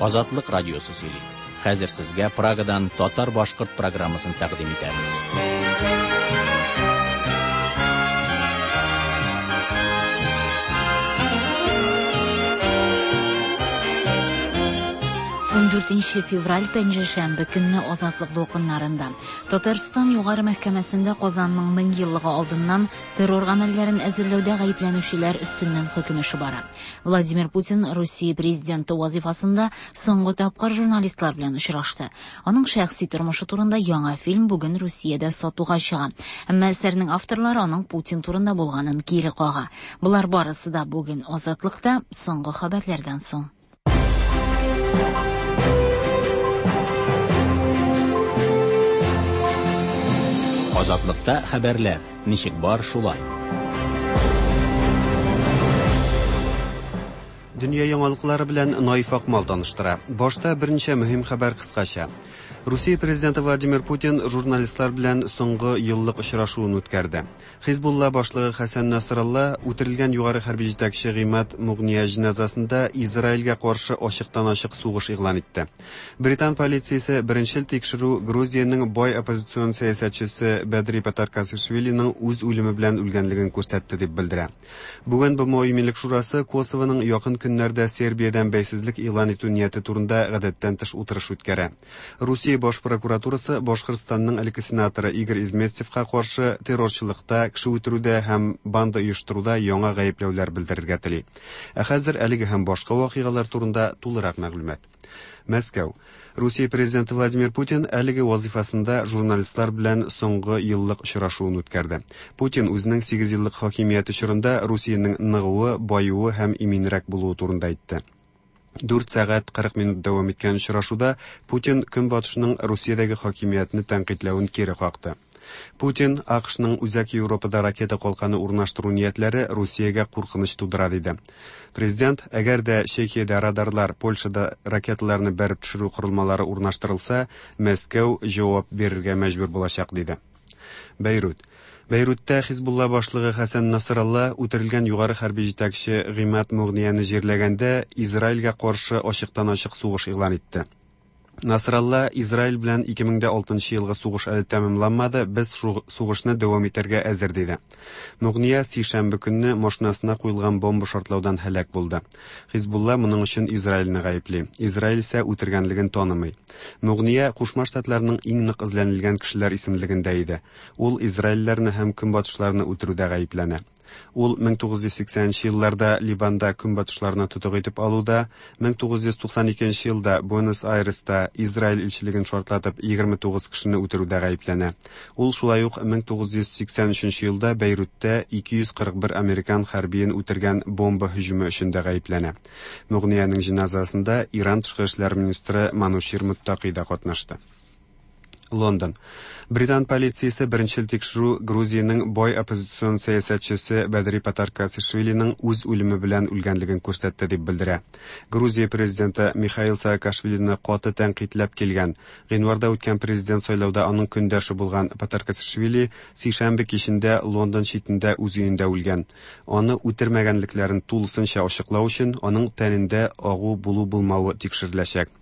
Азатлык радиосы сөйли. Хәзер сезгә Прагадан татар-башкорт программасын тәкъдим итәбез. 14 февраль пәнҗешәмбе көнне Азатлык дулкыннарында Татарстан Югары мәхкәмәсендә Казанның 1000 еллыгы алдыннан террор гамәлләрен әзерләүдә гаепләнүчеләр өстеннән хөкем эше бара. Владимир Путин Русия президенты вазифасында соңгы тапкыр журналистлар белән очрашты. Аның шәхси тормышы турында яңа фильм бүген Русиядә сатуга чыга. Әмма әсәрнең авторлары аның Путин турында булганын кире кага. Болар барысы да бүген Азатлыкта соңгы хәбәрләрдән соң. Азатлыкта хәбәрләр ничек бар шулай. Дөнья яңалыклары белән Наиф Акмал таныштыра. Башта берничә мөһим хәбәр кыскача. Русия президенты Владимир Путин журналистлар белән соңгы еллык очрашуын үткәрде. Хизбулла башлыгы Хәсән Насралла үтерелгән югары хәрби җитәкче Гыймад Мугния җеназасында Израильгә каршы ачыктан-ачык сугыш игълан итте. Британ полициясе беренчел тикшерү Грузиянең бай оппозицион сәясәтчесе Бәдри Патаркацишвилиның үз үлеме белән үлгәнлеген күрсәтте дип белдерә. Бүген БМО Иминлек шурасы Косовоның якын көннәрдә Сербиядән бәйсезлек игълан итү нияте турында гадәттән тыш утырыш үткәрә. Русия баш прокуратурасы Башкортстанның элекке сенаторы Игорь Изместьевка каршы террорчылыкта, кеше үтерүдә һәм банда оештыруда яңа гаепләүләр белдерергә тели. Ә хәзер әлеге һәм башка вакыйгалар турында тулырак мәгълүмат. Мәскәү. Русия президенты Владимир Путин әлеге вазифасында журналистлар белән соңгы еллык очрашуын үткәрде. Путин үзенең 8 еллык хакимияте чорында Русиянең ныгуы, баюы һәм иминрәк булуы турында әйтте. 4 сәгать 40 минут дәвам иткән очрашуда Путин Көнбатышның Русиядәге хакимиятне тәнкыйтьләвен кире какты. Путин АКШның Үзәк Европада ракета калканы урнаштыру ниятләре Русиягә куркыныч тудыра диде. Президент, әгәр дә Чехиядә радарлар, Польшада ракеталарны бәреп төшерү корылмалары урнаштырылса, Мәскәү җавап бирергә мәҗбүр булачак диде. Бәйрут. Бәйрутта Хизбулла башлыгы Хәсән Насралла үтерелгән югары хәрби җитәкче Гыймад Мугнияне җирләгәндә Израильгә каршы ачыктан-ачык сугыш игълан итте. Насралла Израиль белән 2006 елгы сугыш әле тәмамланмады, без сугышны дәвам итәргә әзер диде. Мугния сишәмбе көнне машинасына куелган бомба шартлаудан һәлак булды. Хизбулла моның өчен Израильне гаепли. Израиль исә үтергәнлеген танымый. Мугния Кушма Штатларның иң нык эзләнелгән кешеләр исемлегендә иде. Ул израильләрне һәм көнбатышларны үтерүдә гаепләнә. Ул 1980 елларда Ливанда көнбатышларны тотык итеп алуда, 1992 елда Буэнос-Айреста Израиль илчелеген шартлатып 29 кешене үтерүдә гаепләнә. Ул шулай ук 1983 елда Бәйрутта 241 американ хәрбиен үтергән бомба һөҗүме өчен дә гаепләнә. Мугниянең җеназасында Иран тышкы эшләр министры Манучир Муттаки да катнашты. Лондон. Британ полициясе беренчел тикшерү Грузиянең бай оппозицион сәясәтчесе Бәдри Патаркацишвилиның үз үлеме белән үлгәнлеген күрсәтте дип белдерә. Грузия президенты Михаил Саакашвилины каты тәнкыйтьләп килгән. Гыйнварда үткән президент сайлауда аның көндәше булган Патаркацишвили сишәмбе кичендә Лондон читендә үз өендә үлгән. Аны үтермәгәнлекләрен тулысынча ачыклау өчен аның тәнендә агу булу-булмавы тикшереләчәк.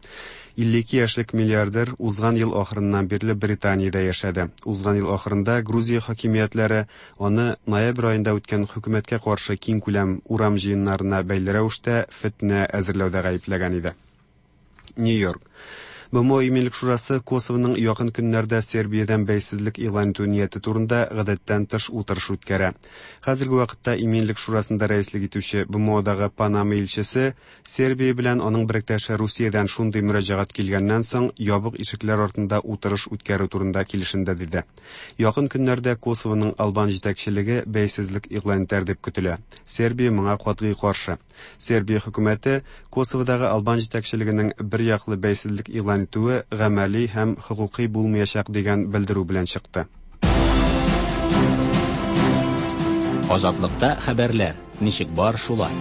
52 яшьлек миллиардер узган ел ахырыннан бирле Британиядә яшәде. Узган ел ахырында Грузия хакимиятләре аны ноябрь аенда үткән хөкүмәткә каршы киңкүләм урам җыеннарына бәйле рәвештә фетнә әзерләүдә гаепләгән иде. Нью-Йорк. БМО Иминлек шурасы Косовоның якын көннәрдә Сербиядән бәйсезлек игълан итү нияте турында гадәттән тыш утырыш үткәрә. Хәзерге вакытта Иминлек шурасында рәислек итүче БМОдагы Панама илчесе Сербия белән аның беректәше Русиядән шундый мөрәҗәгать килгәннән соң ябык ишекләр артында утырыш үткәрү турында килешенде диде. Якын көннәрдә Косовоның албан җитәкчелеге бәйсезлек игълан итәр дип көтелә. Сербия моңа катгый каршы. Сербия хөкүмәте Косоводагы албан җитәкчелегенең бер яклы бәйсезлек игълан итүе гамәли һәм хокукый булмаячак дигән белдерү белән чыкты. Азатлыкта хәбәрләр ничек бар шулай.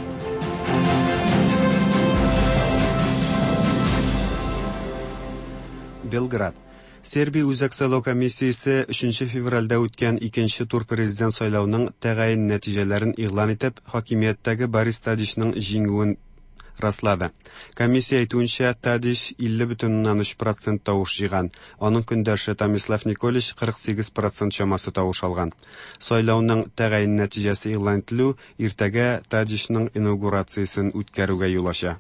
Белград. Сербия Үзәк сайлау комиссиясе 3 февральдә үткән икенче тур президент сайлауның тәгаен нәтиҗәләрен игълан итеп, хакимияттәге Борис Тадичның җиңүен раслады. Комиссия әйтүенчә, Тадич 50,3 процент тавыш җыйган. Аның көндәше Томислав Николич 48 процент чамасы тавыш алган. Сайлауның тәгаен нәтиҗәсе игълан ителү иртәгә Тадичның инаугурациясен үткәрүгә юл ача.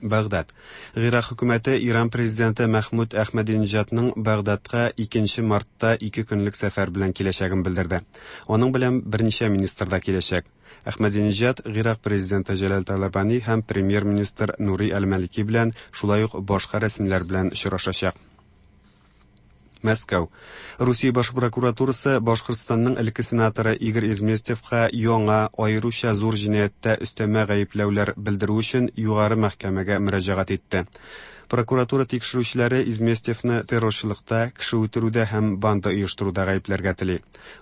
Багдад. Гыйрак хөкүмәте Иран президенты Мәхмүд Әхмәдиниҗадның Багдадка 2 мартта ике көнлек сәфәр белән киләчәген белдерде. Аның белән берничә министр да киләчәк. Әхмәдиниҗад Гыйрак президенты Җәләл Талабани һәм премьер-министр Нури Әл-Малики белән, шулай ук башка рәсмиләр белән очрашачак. Мәскәү. Русия баш прокуратурасы Башкортстанның элекке сенаторы Игорь Изместьевка яңа, аеруча зур җинаятьтә өстәмә гаепләүләр белдерү өчен югары мәхкәмәгә мөрәҗәгать итте. Прокуратура тикшерүчеләре Изместьевны террорчылыкта, кеше үтерүдә һәм банда оештыруда гаепләргә тели.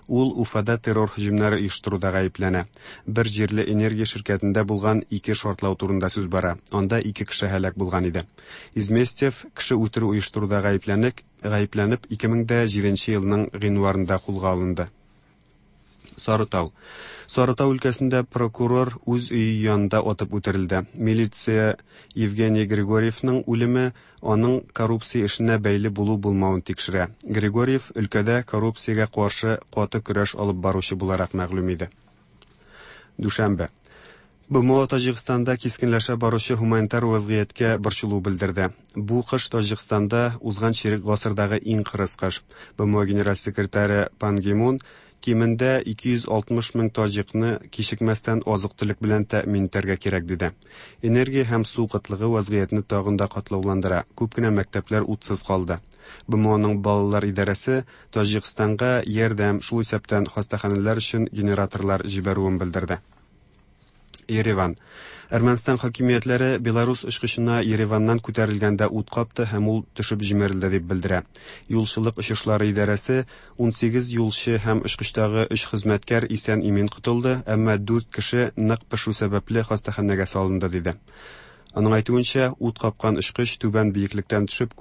Ул Уфада террор һөҗүмнәре оештыруда гаепләнә. Бер җирле энергия ширкәтендә булган ике шартлау турында сүз бара. Анда ике кеше һәлак булган иде. Изместьев кеше үтерү оештыруда гаепләнеп, гаепләнеп 2007 елның гыйнварында кулга алынды. Сарытау. Сарытау өлкәсендә прокурор үз өе янында атып үтерелде. Милиция Евгений Григорьевның үлеме аның коррупция эшенә бәйле булу-булмавын тикшерә. Григорьев өлкәдә коррупциягә каршы каты көрәш алып баручы буларак мәгълүм иде. Дүшәмбе. БМО Таҗикстанда кискенләшә баручы һуманитар вазгыятькә борчылу белдерде. Бу кыш Таҗикстанда узган чирек гасырдагы иң кырыс кыш. БМО генераль секретаре Пан Ги Мун кимендә 260 мең таҗикны кичекмәстән азык-төлек белән тәэмин итәргә кирәк диде. Энергия һәм су кытлыгы вазгыятьне тагын да катлауландыра. Күп кенә мәктәпләр утсыз калды. БМОның балалар идарәсе Таҗикстанга ярдәм, шул исәптән хастаханәләр өчен генераторлар җибәрүен белдерде. Ереван. Әрмәнстан хакимиятләре Беларус очкычына Ереваннан күтәрелгәндә ут капты һәм ул төшеп җимерелде дип белдерә. Юлчылык очышлары идарәсе 18 юлчы һәм очкычтагы өч хезмәткәр исән-имин котылды, әмма дүрт кеше нык пешү сәбәпле хастаханәгә салынды диде. Аның әйтүенчә, ут капкан очкыч түбән биеклектән төшеп,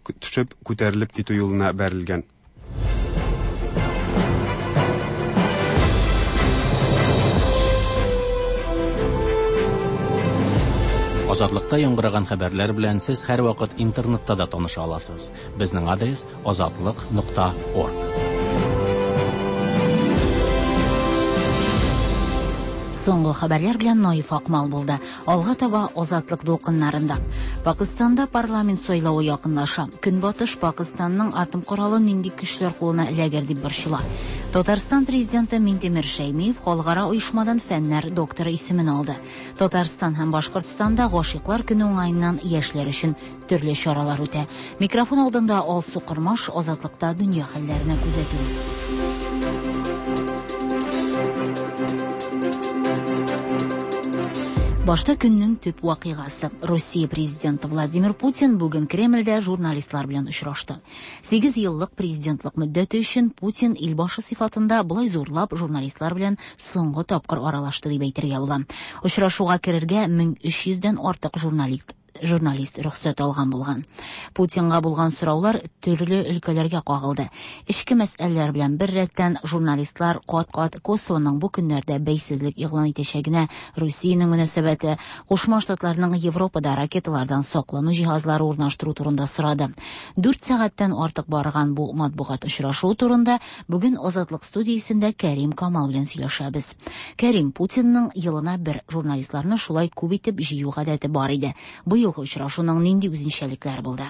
төшеп күтәрелеп китү юлына бәрелгән. Азатлыкта яңгыраган хәбәрләр белән сез һәрвакыт интернетта да таныша аласыз. Безнең адрес азатлык.орг. Соңгы хәбәрләр белән Наиф Акмал булды. Алга таба Азатлык дулкыннарында. Пакыстанда парламент сайлавы якынлаша. Көнбатыш Пакыстанның атом коралы нинди көчләр кулына эләгер дип борчыла. Татарстан президенты Минтимер Шәймиев халыкара оешмадан фәннәр докторы исемен алды. Татарстан һәм Башкортстанда гашыйклар көне уңаеннан яшьләр өчен төрле чаралар үтә. Микрофон алдында Алсу Кормаш, Азатлыкта дөнья хәлләренә күзәтү. Башта көннең төп вакыйгасы. Русия президенты Владимир Путин бүген Кремльдә журналистлар белән очрашты. 8 еллык президентлык мөддәте өчен Путин илбашы сыйфатында болай зурлап журналистлар белән соңгы тапкыр аралашты дип әйтергә була. Очрашуга керергә 1300дән артык журналист журналист рөхсәт алган булган. Путинга булган сораулар төрле өлкәләргә кагылды. Эчке мәсьәләләр белән бер рәттән журналистлар кат-кат Косовоның бу көннәрдә бәйсезлек игълан итәчәгенә, Русиянең мөнәсәбәте, Кушма Штатларның Европада ракеталардан саклану җиһазлары урнаштыру турында сорады. 4 сәгатьтән артык барган бу матбугат очрашуы турында бүген Азатлык студиясендә Кәрим Камал белән сөйләшәбез. Кәрим, Путинның елына бер журналистларны шулай күп итеп җыю гадәте бар иде. Быелгы очрашуның нинди үзенчәлекләре булды?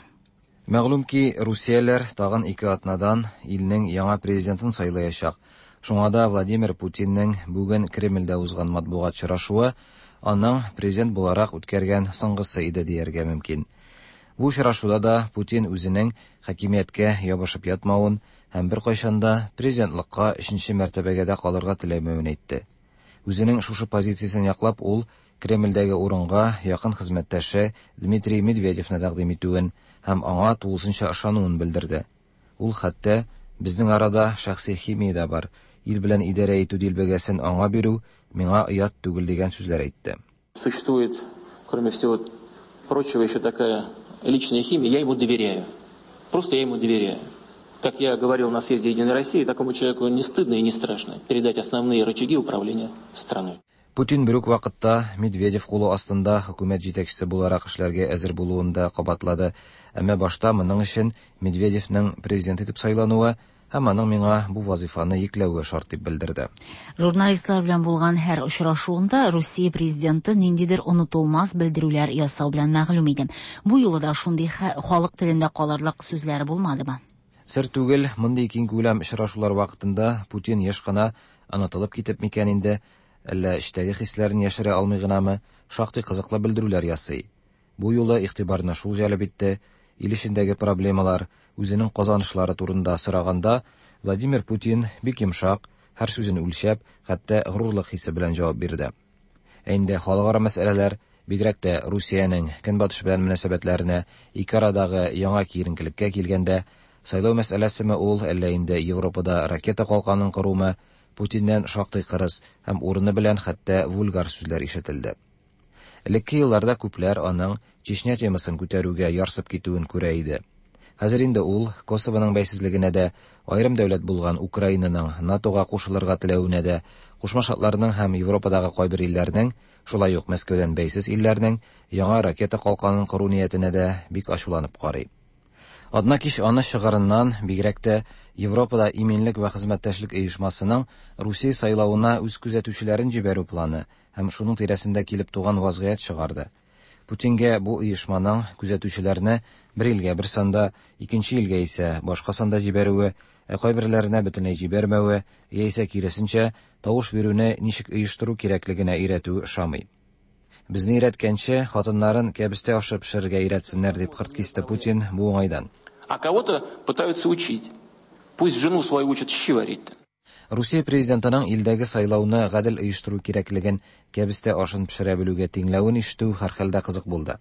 Мәгълүм ки, русияләр тагын ике атнадан илнең яңа президентын сайлаячак. Шуңа да Владимир Путинның бүген Кремльдә узган матбугат очрашуы аның президент буларак үткәргән соңгысы иде дияргә мөмкин. Бу очрашуда да Путин үзенең хакимияткә ябышып ятмавын һәм беркайчан да президентлыкка өченче мәртәбәгә дә калырга теләмәвен әйтте. Үзенең шушы позициясен яклап, ул Кремльдәге урынга якын хезмәттәше Дмитрий Медведевны тәкъдим итүен һәм аңа тулысынча ышануын белдерде. Ул хәтта безнең арада шәхси химия дә бар, ил белән идарә итү дилбегәсен аңа бирү миңа оят түгел дигән сүзләр әйтте. Существует, кроме всего прочего, еще такая личная химия. Я ему доверяю. Просто я ему доверяю. Как я говорил на съезде Единой России, такому человеку не стыдно и не страшно передать основные рычаги управления страной. Путин бер үк вакытта Медведев кулы астында хөкүмәт җитәкчесе буларак эшләргә әзер булуын да кабатлады, әмма башта моның өчен Медведевның президент итеп сайлануы һәм аның миңа бу вазыйфаны йөкләве шарт дип белдерде. Журналистлар белән булган һәр очрашуында Русия президенты ниндидер онытылмас белдерүләр ясау белән мәгълүм иде. Бу юлы да шундый халык телендә калырлык сүзләре булмадымы? Сер түгел, мондый киңкүләм очрашулар вакытында Путин еш кына онытылып китеп микән инде, әллә эчтәге хисләрен яшерә алмый гынамы, шактый кызыклы белдерүләр ясый. Бу юлы игътибарны шул җәлеп итте, ил эчендәге проблемалар, үзенең казанышлары турында сораганда, Владимир Путин бик йомшак, һәр сүзен үлчәп, хәтта горурлык хисе белән җавап бирде. Ә инде халыкара мәсьәләләр, бигрәк тә Русиянең Көнбатыш белән мөнәсәбәтләренә, ике арадагы яңа киеренкелеккә килгәндә, сайлау мәсьәләсеме ул, әллә инде Европада ракета калканын корумы, Путиннән шактый кырыс һәм урыны белән хәтта вульгар сүзләр ишетелде. Элекке елларда күпләр аның Чечня темасын күтәрүгә ярсып китүен күрә иде. Хәзер инде ул Косовоның бәйсезлегенә дә, аерым дәүләт булган Украинаның НАТОга кушылырга теләвенә дә, Кушма Штатларның һәм Европадагы кайбер илләрнең, шулай ук Мәскәүдән бәйсез илләрнең яңа ракета калканын кору ниятенә дә бик ачуланып карый. Атна кич аны чыгырыннан, бигрәк тә Европада иминлек вә хезмәттәшлек оешмасының Русия сайлавына үз күзәтүчеләрен җибәрү планы һәм шуның тирәсендә килеп туган вазгыять чыгарды. Путингә бу оешманың күзәтүчеләрне бер илгә бер санда, икенче илгә исә башка санда җибәрүе, ә кайберләренә бөтенләй җибәрмәве, яисә киресенчә, тавыш бирүне ничек оештыру кирәклегенә өйрәтүе ошамый. Безне өйрәткәнче, хатыннарын кәбестә ашы пешерергә өйрәтсеннәр, дип кырт кисте Путин бу уңайдан. А кого-то пытаются учить. Пусть жену свою учат щи варить. Русия президентының илдәге сайлауны гадел оештыру кирәклеген кәбестә ашын пешерә белүгә тиңләвен ишетү һәрхәлдә кызык булды.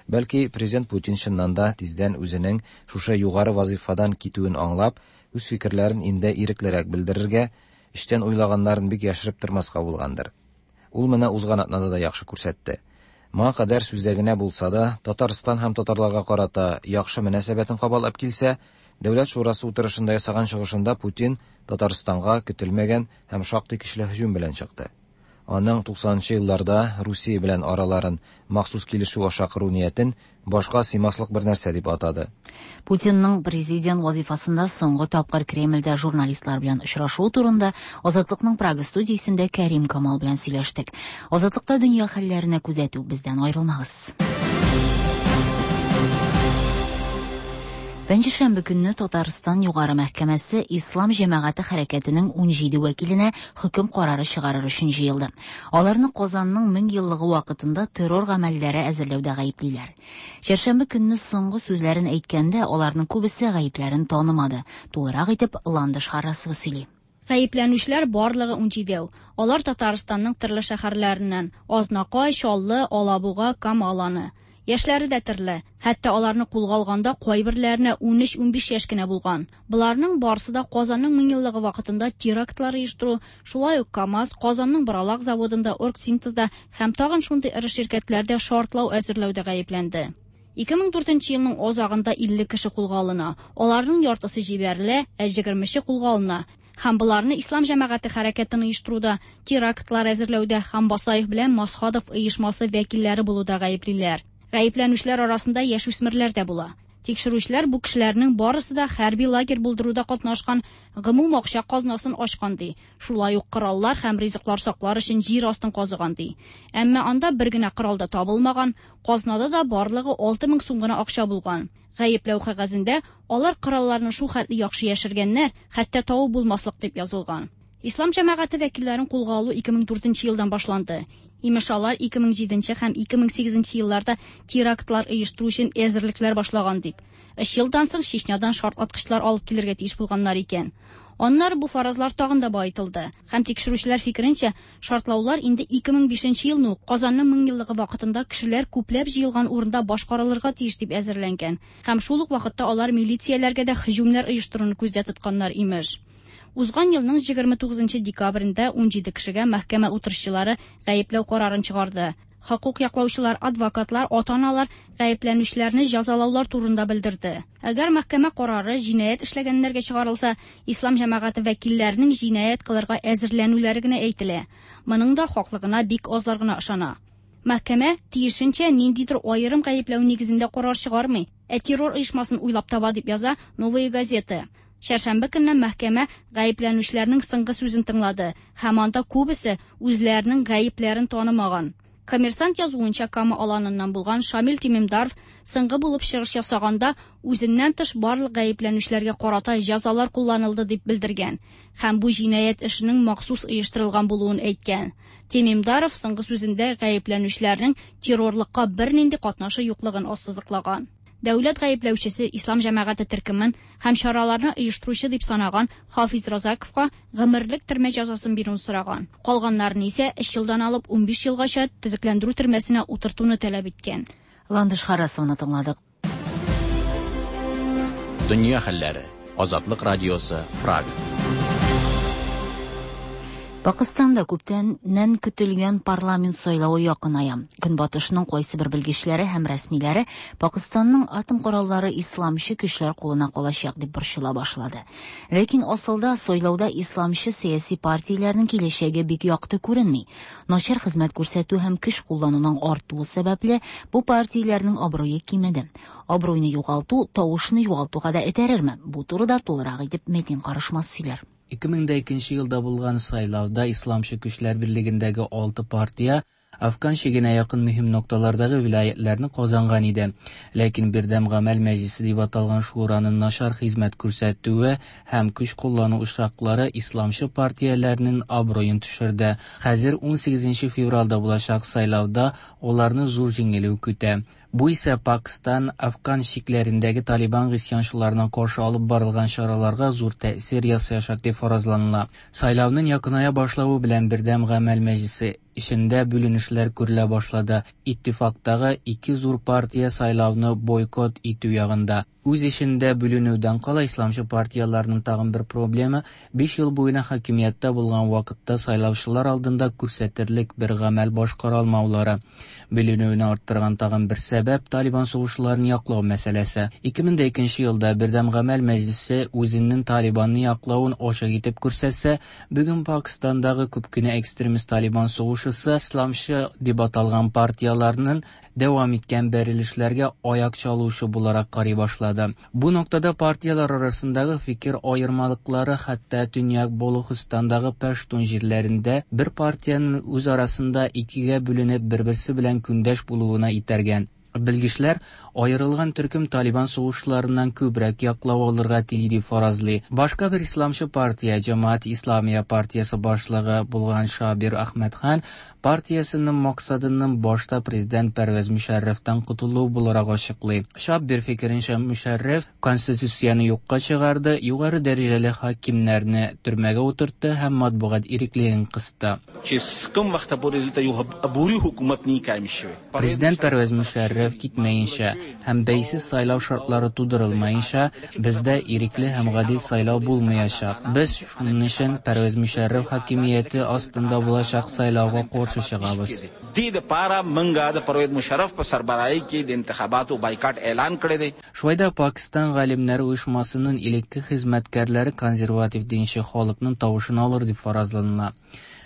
Бәлки, президент Путин чыннан да тиздән үзенең шушы югары вазыйфадан китүен аңлап, үз фикерләрен инде иреклерәк белдерергә, эчтән уйлаганнарын бик яшереп тормаска булгандыр. Ул моны узган атнада да яхшы күрсәтте. Моңа кадәр сүздә генә булса да, Татарстан һәм татарларга карата яхшы мөнәсәбәтен кабатлап килсә, Дәүләт шурасы утырышында ясаган чыгышында Путин Татарстанга көтелмәгән һәм шактый көчле һөҗүм белән чыкты. Аның 90нчы елларда Русия белән араларын махсус килешү аша кору ниятен башка сыймаслык бер нәрсә дип атады. Путинның президент вазифасында соңгы тапкыр Кремльдә журналистлар белән очрашуы турында Азатлыкның Прага студиясендә Кәрим Камал белән сөйләштек. Азатлыкта дөнья хәлләренә күзәтү, бездән аерылмагыз. Пәнҗешәмбе көнне Татарстан Югары мәхкәмәсе Ислам җәмәгате хәрәкәтенең 17 вәкиленә хөкем карары чыгарыр өчен җыелды. Аларны Казанның 1000 еллыгы вакытында террор гамәлләре әзерләүдә гаеплиләр. Чәршәмбе көнне соңгы сүзләрен әйткәндә аларның күбесе гаепләрен танымады. Тулырак итеп Ландыш Харрасова сөйли. Гаепләнүчеләр барлыгы 17. Алар Татарстанның төрле шәһәрләреннән: Азнакай, Чаллы, Алабуга, Кама Аланы. Яшьләре дә төрле. Хәтта аларны кулга алганда кайберләренә 13-15 яшь кенә булган. Боларның барысы да Казанның 1000 еллыгы вакытында терактлар оештыру, шулай ук КАМАЗ, Казанның Боралак заводында, Оргсинтезда һәм тагын шундый эре ширкәтләрдә шартлау әзерләүдә гаепләнде. 2004 елның азагында 50 кеше кулга алына. Аларның яртысы җибәрелә, ә 20-че кулга алына. Һәм боларны Ислам җәмәгате хәрәкәтен оештыруда, терактлар әзерләүдә һәм Басаев белән Масхадов оешмасы вәкилләре булуда гаеплиләр. Гаепләнүчеләр арасында яшүсмерләр дә була. Тикшерүчеләр бу кешеләрнең барысы да хәрби лагерь булдыруда катнашкан, гомум акча казнасын ачкан ди. Шулай ук кораллар һәм ризыклар саклар өчен җир астын казыган ди. Әмма анда бер генә корал да табылмаган, казнада да барлыгы 6000 сум гына акча булган. Гаепләү кәгазендә алар коралларны шул хәтле яхшы яшергәннәр, хәтта табып булмаслык дип язылган. Ислам җәмәгате вәкилләрен кулга алу 2004 елдан башланды. Имеш алар 2007 һәм 2008 елларда терактлар оештыру өчен әзерлекләр башлаган дип. 3 елдан соң Чечнядан шартлаткычлар алып килергә тиеш булганнар икән. Аннары бу фаразлар тагын да баетылды. Һәм тикшерүчеләр фикеренчә, шартлаулар инде 2005 елны ук Казанның 1000 еллыгы вакытында кешеләр күпләп җыелган урында башкарылырга тиеш дип әзерләнгән. Һәм шул ук вакытта алар милицияләргә дә һөҗүмнәр оештыруны күздә тотканнар имеш. Узган елның 29 декабрендә 17 кешегә мәхкәмә утырышчылары гаепләү карарын чыгарды. Хокук яклаучылар, адвокатлар, ата-аналар гаепләнүчеләрне җәзалаулар турында белдерде. Әгәр мәхкәмә карары җинаять эшләгәннәргә чыгарылса, ислам җәмәгате вәкилләренең җинаять кылырга әзерләнүләре генә әйтелә. Моның да хаклыгына бик азлар гына ышана. Мәхкәмә, тиешенчә, ниндидер аерым гаепләү нигезендә карар чыгармый, ә террор оешмасын уйлап таба, дип яза Новые газеты. Чәршәмбе көнне мәхкәмә гаепләнүчеләрнең соңгы сүзен тыңлады һәм анда күбесе үзләренең гаепләрен танымаган. Коммерсант язуынча, Кама Аланыннан булган Шамил Тимимдаров соңгы булып чыгыш ясаганда үзеннән тыш барлык гаепләнүчеләргә карата җәзалар кулланылды дип белдергән һәм бу җинаять эшенең махсус оештырылган булуын әйткән. Тимимдаров соңгы сүзендә гаепләнүчеләрнең террорлыкка бернинди катнашы юклыгын ассызыклаган. Дәүләт гаепләүчесе ислам җәмәгате төркемен һәм чараларны оештыручы дип санаган Хафиз Разаковка гомерлек төрмә җәзасын бирүен сораган. Калганнарын исә 3 елдан алып 15 елгача төзекләндерү төрмәсенә утыртуны таләп иткән. Ландыш Харасованы тыңладык. Дөнья хәлләре. Азатлык радиосы, Прага. Пакыстанда күптәннән көтелгән парламент сайлавы якыная. Көнбатышның кайсыбер белгечләре һәм рәсмиләре Пакыстанның атом кораллары исламчы көчләр кулына калачак дип борчыла башлады. Ләкин асылда сайлауда исламчы сәяси партияләрнең киләчәге бик якты күренми. Начар хезмәт күрсәтү һәм көч куллануның артуы сәбәпле, бу партияләрнең абруе кимеде. Абруйны югалту тавышны югалтуга да этәрерме? Бу турыда тулырак итеп Мәтин Карышмас сөйләр. 2002 елда булган сайлауда Исламчы көчләр берлегендәге 6 партия Афган чигенә якын мөһим нокталардагы вилаятларны казанган иде. Ләкин Бердәм гамәл мәҗлесе дип аталган шураның начар хезмәт күрсәтүе һәм көч куллану очраклары исламчы партияләрнең абруен төшерде. Хәзер 18 февральдә булачак сайлауда аларны зур җиңелү көтә. Бу исә Пакстан, Афган чикләрендәге Талибан гыйсьянчыларына каршы алып барылган чараларга зур тәэсир ясаячак дип фаразланыла. Сайлауның якыная башлавы белән Бердәм гамәл мәҗлесе эчендә бүленешләр күрелә башлады. Иттифактагы ике зур партия сайлауны бойкот итү ягында. Үз эчендә бүленүдән кала исламчы партияләрнең тагын бер проблемы 5 ел буена хакимияттә булган вакытта сайлаучылар алдында күрсәтерлек бер гамәл башкара алмаулары. Бүленүне арттырган тагын бер сәбәп Талибан сугышчыларын яклау мәсьәләсе. 2002 елда Бердәм гамәл мәҗлесе үзенең Талибанны яклавын ачык итеп күрсәтсә, бүген Пакистандагы күп кенә экстремист Талибан сугышчысы исламчы дип аталган партияләрнең дәвам иткән бәрелешләргә аяк чалучы буларак карый башлады. Бу ноктада партияләр арасындагы фикер аермалыклары хәтта Төньяк Балухистандагы пәштун җирләрендә бер партиянең үз арасында икегә бүленеп бер-берсе белән көндәш булуына итәргән. Белгечләр аерылган төркем Талибан сугышчыларыннан күбрәк яклау алырга тели дип фаразлый. Башка бер исламчы партия, Җәмәгать Исламия партиясе башлыгы булган Шабир Әхмәдхан партиясенең максатының башта президент Пәрвәз Мөшәррәфтән котылу буларак ачыклый. Шабир фикеренчә, Мөшәррәф конституцияне юкка чыгарды, югары дәрәҗәле хакимнәрне төрмәгә утыртты һәм матбугат иреклеген кысты. Президент Пәрвәз Мөшәррәф китмәенчә һәм бәйсез сайлау шартлары тудырылмаенча, бездә ирекле һәм гадил сайлау булмаячак. Без шуның өчен Пәрвәз Мөшәррәф хакимияте астында булачак сайлауга каршы чыгабыз. Шулай да Пакистан галимнәре оешмасының элекке хезмәткәрләре консерватив динче халыкның тавышын алыр дип фаразланыла.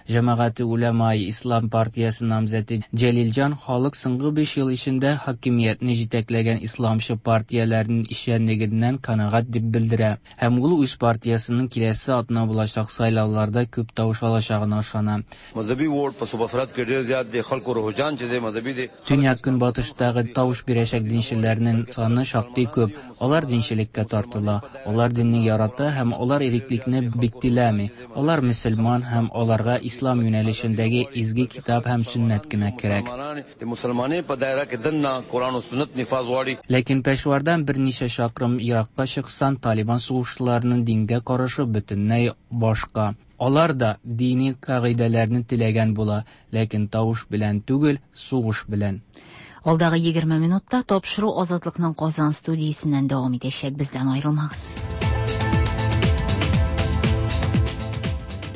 Җәмәгате Улямаи Ислам партиясе намзәте Җәлилҗан халык соңгы 5 ел эчендә хакимиятне җитәкләгән исламчы партияләрнең эшчәнлегеннән канәгать дип белдерә. Һәм ул үз партиясенең киләсе атна булачак сайлауларда күп тавыш алачагына ышана. Төньяк көнбатыштагы тавыш бирәчәк динчеләрнең саны шактый күп. Алар динчелеккә тартыла, алар динне ярата һәм алар иреклекне бик теләми. Алар мөселман һәм аларга ислам юнәлешендәге изге китап һәм сөннәт кенә кирәк. Ләкин Пешвардан берничә чакрым еракка чыксаң, Талибан сугышчыларының дингә карашы бөтенләй башка. Алар да дини кагыйдәләрне теләгән була, ләкин тавыш белән түгел, сугыш белән. Алдагы 20 минутта тапшыру Азатлыкның Казан студиясеннән дәвам итәчәк. Бездән аерылмагыз.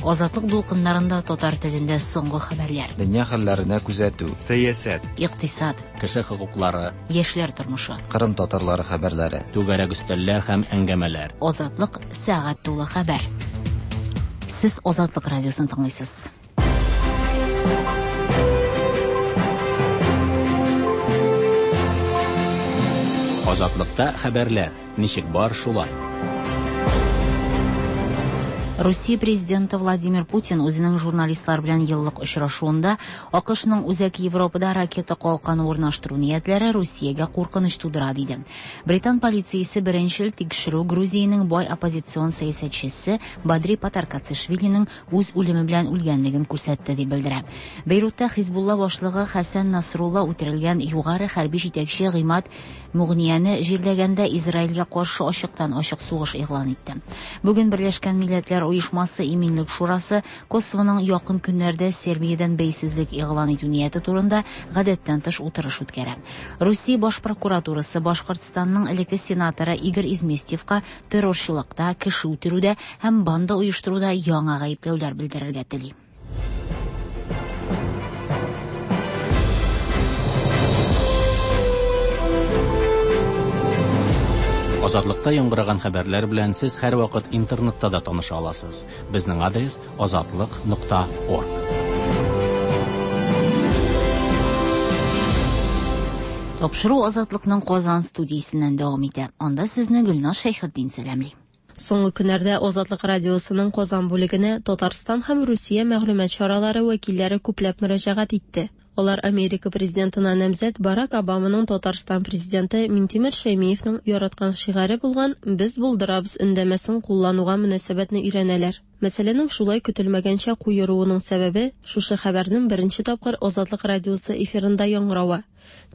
Азатлык дулкыннарында татар телендә соңгы хәбәрләр. Дөнья хәлләренә күзәтү. Сәясәт. Икътисад. Кеше хокуклары. Яшьләр тормышы. Кырым татарлары хәбәрләре. Түгәрәк өстәлләр һәм әңгәмәләр. Азатлык сәгать тулы хәбәр. Сез Азатлык радиосын тыңлыйсыз. Азатлыкта хәбәрләр. Ничек бар шулай. Русия президенты Владимир Путин үзенең журналистлар белән еллык очрашуында АКШның Үзәк Европада ракета калканы урнаштыру ниятләре Русиягә куркыныч тудыра диде. Британ полициясе беренчел тикшерү Грузиянең бай оппозицион сәясәтчесе Бадри Патаркацишвилиның үз үлеме белән үлгәнлеген күрсәтте дип белдерә. Бейрутта Хизбулла башлыгы Хәсән Насрулла үтерелгән югары хәрби җитәкче Гыймад Мугнияне җирләгәндә Израильгә каршы ачыктан-ачык сугыш игълан итте. Бүген Берләшкән Милләтләр Оешмасы Иминлек Шурасы Косовоның якын көннәрдә Сербиядән бәйсезлек игълан итү нияте турында гадәттән тыш утырыш үткәрә. Русия баш прокуратурасы Башкортстанның элекке сенаторы Игорь Изместьевка террорчылыкта, кеше үтерүдә һәм банда оештыруда яңа гаепләүләр белдерергә тели. Азатлыкта яңгыраган хәбәрләр белән сез һәрвакыт интернетта да таныша аласыз. Безнең адрес азатлык.орг. Тапшыру Азатлыкның Казан студиясеннән дәвам итә. Анда сезне Гөлназ Шәйхетдин сәламли. Соңгы көннәрдә Азатлык радиосының Казан бүлегенә Татарстан һәм Русия мәгълүмат чаралары вәкилләре күпләп мөрәҗәгать итте. Алар Америка президентына намзәт Барак Обаманың Татарстан президенты Минтимер Шәймиевның яраткан шигаре булган «Без булдырабыз» өндәмәсен куллануга мөнәсәбәтне өйрәнәләр. Мәсьәләнең шулай көтелмәгәнчә куеруының сәбәбе шушы хәбәрнең беренче тапкыр Азатлык радиосы эфирында яңгыравы.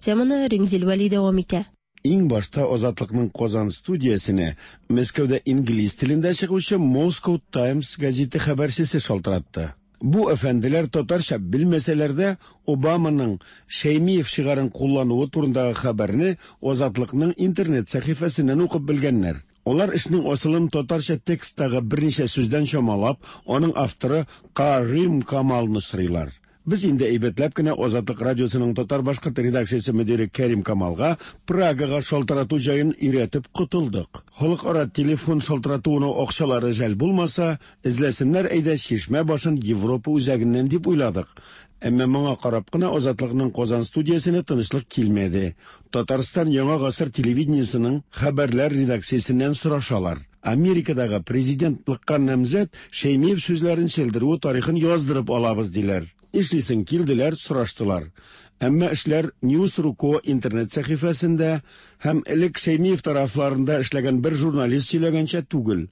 Теманы Римзил Вәли дәвам итә. Иң башта Азатлыкның Казан студиясенә Мәскәүдә инглиз телендә чыгучы Moscow Times газеты хәбәрчесе шалтыратты. Бу әфәнделәр татарча белмәсәләр дә Обаманың Шәймиев шигарен куллануы турындагы хәбәрне Азатлыкның интернет сәхифәсеннән укып белгәннәр. Алар эшнең асылын татарча тексттагы берничә сүздән чамалап, аның авторы Карим Камалны сорыйлар. Без инде әйбәтләп кенә Азатлык радиосының татар-башкорт редакциясе мөдире Кәрим Камалга Прагага шалтырату җаен өйрәтеп котылдык. Халыкара телефон шалтыратуына акчалары жәл булмаса, эзләсеннәр әйдә чишмә башын Европа үзәгеннән дип уйладык. Әмма моңа карап кына Азатлыкның Казан студиясенә тынычлык килмәде. Татарстан Яңа гасыр телевидениесының хәбәрләр редакциясеннән сорашалар. Америкадагы президентлыкка намзәт Шәймиев сүзләрен чәлдерүе тарихын яздырып алабыз диләр. Эшлисең килделәр, сораштылар. Әмма эшләр News.ru интернет сәхифәсендә һәм элек Шәймиев тарафларында эшләгән бер журналист сөйләгәнчә түгел.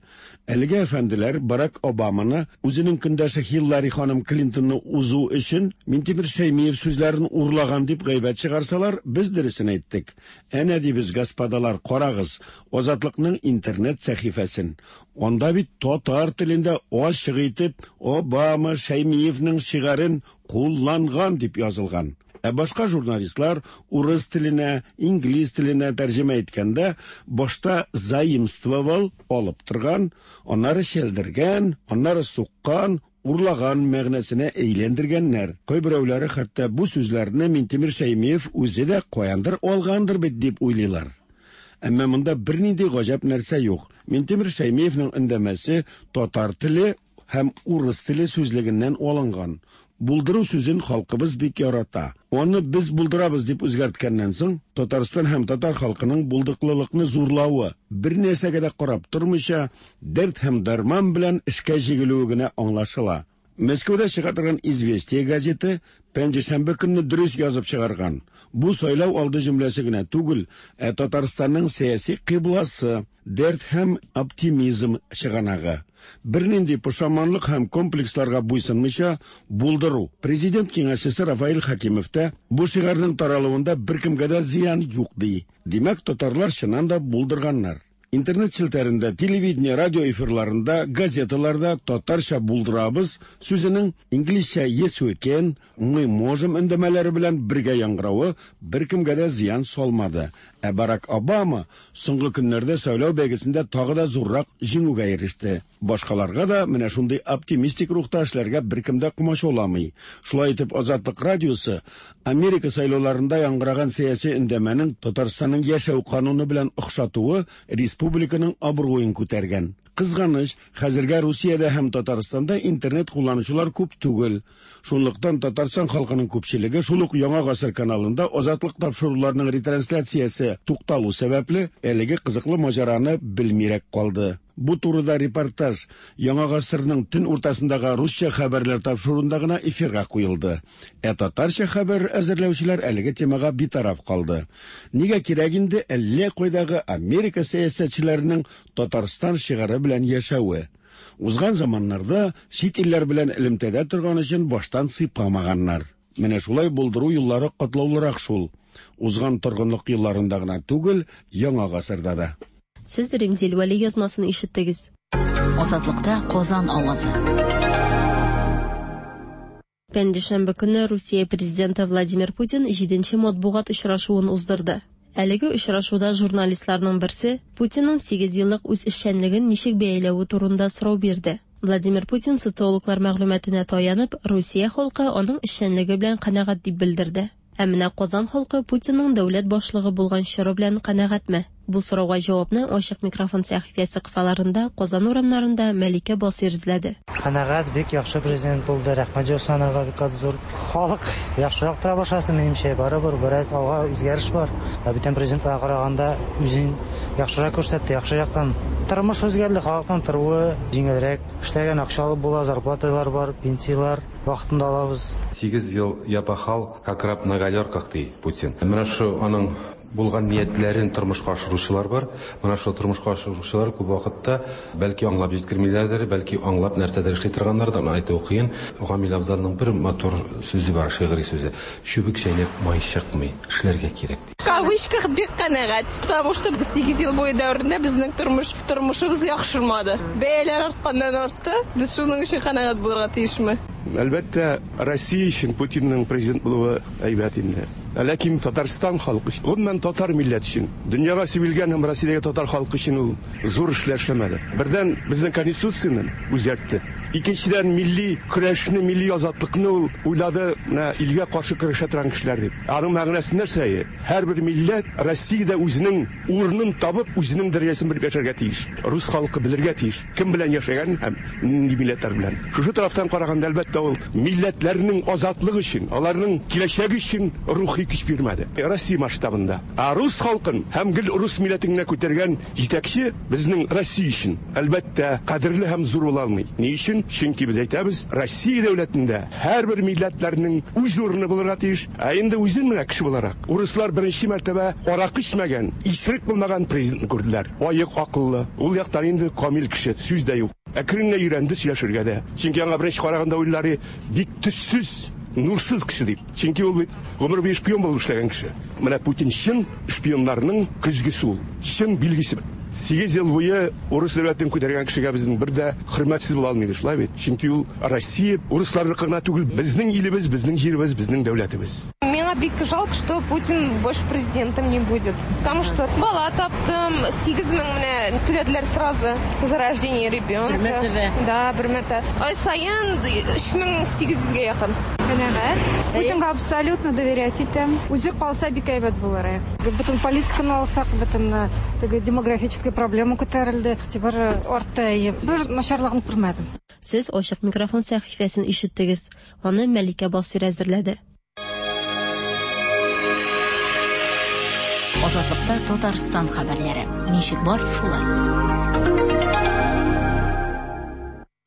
Әлеге әфәнделәр Барак Обаманы үзенең көндәше Хиллари ханым Клинтонны узу өчен Минтимер Шәймиев сүзләрен урлаган дип гайбәт чыгарсалар, без дөресен әйттек. Әнә дибез, господалар, карагыз, Азатлыкның интернет сәхифәсен. Анда бит татар телендә ачык итеп Обама Шәймиевнең шигарен кулланган дип язылган. Ә башка журналистлар урыс теленә, инглиз теленә тәрҗемә иткәндә башта заимствовал алып торган, аннары чәлдергән, аннары суккан, урлаган мәгънәсенә әйләндергәннәр. Кайберәүләре хәтта бу сүзләрне Минтимер Шәймиев үзе дә каяндыр алгандыр бит дип уйлыйлар. Әмма монда бернинди гаҗәп нәрсә юк. Минтимер Шәймиевнең өндәмәсе татар теле һәм урыс теле сүзлегеннән алынган. Булдыру сүзен халкыбыз бик ярата. Аны без булдырабыз дип үзгәрткәннән соң, Татарстан һәм татар халкының булдыклылыкны зурлавы, бер нәрсәгә дә карап тормыйча, дәрт һәм дәрман белән эшкә җигелүе генә аңлашыла. Мәскәүдә чыга торган «Известия» газеты пәнҗешәмбе көнне дөрес язып чыгарган. Бу сайлау алды җөмләсе генә түгел, ә Татарстанның сәяси кыйбласы, дәрт һәм оптимизм чыганагы. Бернинди пошаманлык һәм комплексларга буйсынмыйча булдыру. Президент киңәшчесе Рафаэль Хакимов та бу шигарның таралуында беркемгә дә зыян юк ди. Димәк, татарлар чыннан да булдырганнар. Интернет челтәрендә, телевидение, радио эфирларында, газеталарда татарча булдырабыз сүзенең инглизчә yes we can, мы можем өндәмәләре белән бергә яңгыравы беркемгә дә зыян салмады. Ә Барак Обама соңгы көннәрдә сайлау бәйгесендә тагы да зуррак җиңүгә иреште. Башкаларга да менә шундый оптимистик рухта эшләргә беркем дә комачауламый. Шулай итеп, Азатлык радиосы Америка сайлауларында яңгыраган сәяси өндәмәнең Татарстанның яшәү кануны белән охшатуы республиканың абруен күтәргән. Кызганыч, хәзергә Русиядә һәм Татарстанда интернет кулланучылар күп түгел. Шунлыктан Татарстан халкының күпчелеге шул ук Яңа гасыр каналында Азатлык тапшыруларының ретрансляциясе тукталу сәбәпле, әлеге кызыклы маҗараны белмирәк калды. Бу турыда репортаж Яңа гасырның төн уртасындагы русча хәбәрләр тапшыруында гына эфирга куелды. Ә татарча хәбәр әзерләүчеләр әлеге темага битараф калды. Нигә кирәк инде әллә кайдагы Америка сәясәтчеләренең Татарстан шигаре белән яшәве? Узган заманнарда чит илләр белән элемтәдә торган өчен баштан сыйпамаганнар. Менә шулай булдыру юллары катлаулырак шул. Узган торгынлык елларында гына түгел, яңа гасырда да. Сез Римзил Вәли язмасын ишеттегез. Азатлыкта Казан авазы. Пәнҗешәмбе көнне Русия президенты Владимир Путин җиденче матбугат очрашуын уздырды. Әлеге очрашуда журналистларның берсе Путинның сигез еллык үз эшчәнлеген ничек бәяләве турында сорау бирде. Владимир Путин социологлар мәгълүматына таянып, Русия халкы аның эшчәнлеге белән канәгать дип белдерде. Ә менә Казан халкы Путинның дәүләт башлыгы булган чоры белән канәгатьме? Бу сорауга җавапны Ачык микрофон сәхифәсе кысаларында Казан урамнарында Мәликә Басыйр эзләде. Канәгать, бик яхшы президент булды, рәхмәт җылысын анарга бик каты зур. Халык яхшырак тора башласын, минемчә, барыбер бераз алга үзгәреш бар. Ә бүтән президентларга караганда үзен яхшырак күрсәтте, яхшы яктан. Тормыш үзгәрде, халыкның торуы җиңелрәк. Эшләгән акча алып була, зарплаталар бар, пенсияләр вакытында алабыз. Сигез ел я пахал, как раб на галерках, ди Путин. Менә шу аның булган ниятләрен тормышка ашыручылар бар. Менә шул тормышка ашыручылар күп вакытта бәлки аңлап җиткермиләрдер, бәлки аңлап нәрсәдер эшли торганнардыр, аны әйтүе кыен. Гамил Афзалның бер матур сүзе бар, шигъри сүзе. Чүбек чәйнәп май чыкмый, эшләргә кирәк, ди. В кавычках бик канәгать, потому что 8 ел буе дәверендә безнең тормыш, тормышыбыз яхшырмады. Бәяләр артканнан артты, без шуның өчен канәгать булырга тиешме? Әлбәттә, Россия өчен Путинның президент булуы әйбәт инде. Ләкин Татарстан халкы өчен, гомумән татар милләте өчен, дөньяга сибелгән һәм Россиядәге татар халкы өчен ул зур эшләр эшләмәде. Бердән, безнең Конституцияне үзгәртте. Икенчедән, милли көрәшне, милли азатлыкны ул уйлады, менә илгә каршы көрәшә торган кешеләр дип. Аның мәгънәсе нәрсә? Һәрбер милләт Россиядә үзенең урынын табып, үзенең дәрәҗәсен белеп яшәргә тиеш. Рус халкы белергә тиеш, кем белән яшәгәнен һәм нинди милләтләр белән. Шушы тарафтан караганда, әлбәттә, ул милләтләрнең азатлыгы өчен, аларның киләчәге өчен рухи көч бирмәде. Россия масштабында. Ә рус халкын һәм гел рус милләтен генә күтәргән җитәкче безнең Россия өчен, әлбәттә, кадерле һәм зур була алмый. Ни өчен? Чөнки без әйтәбез, Россия дәүләтендә һәрбер милләтләрнең үз урыны булырга тиеш. Ә инде үзен менә кеше буларак, урыслар беренче мәртәбә аракы эчмәгән, исерек булмаган президентны күрделәр. Аек акыллы, ул яктан инде камил кеше, сүз дә юк. Әкрен генә өйрәнде сөйләшергә дә. Чөнки аңа беренче караганда уйлары бик төссез, нурсыз кеше дип. Чөнки ул бит гомер буе шпион булып эшләгән кеше. Менә Путин чын шпионнарның көзгесе ул, чын билгесе. Сигез ел буе урыс дәүләтен күтәргән кешегә безнең бер дә хөрмәтсез була алмыйбыз, шулай бит? Чөнки ул Россия урысларныкы гына түгел, безнең илебез, безнең җиребез, безнең дәүләтебез. Миңа бик жалко, что Путин больше президентом не будет. Потому что бала таптым, 8000 менә түләделәр сразу за рождение ребенка. Бер мәртәбә. Да, бер мәртәбә. Ай саен 3800гә якын. Канәгать. Путинга абсолютно доверять итәм. Үзе калса бик әйбәт булыр. Бөтен политиканы алсак, бөтен теге демографическая проблема күтәрелде, игътибар артты. Бер начарлыгын күрмәдем. Сез Ачык микрофон сәхифәсен ишеттегез. Аны Мәликә Басыйр әзерләде. Азатлыкта Татарстан хәбәрләре. Ничек бар, шулай.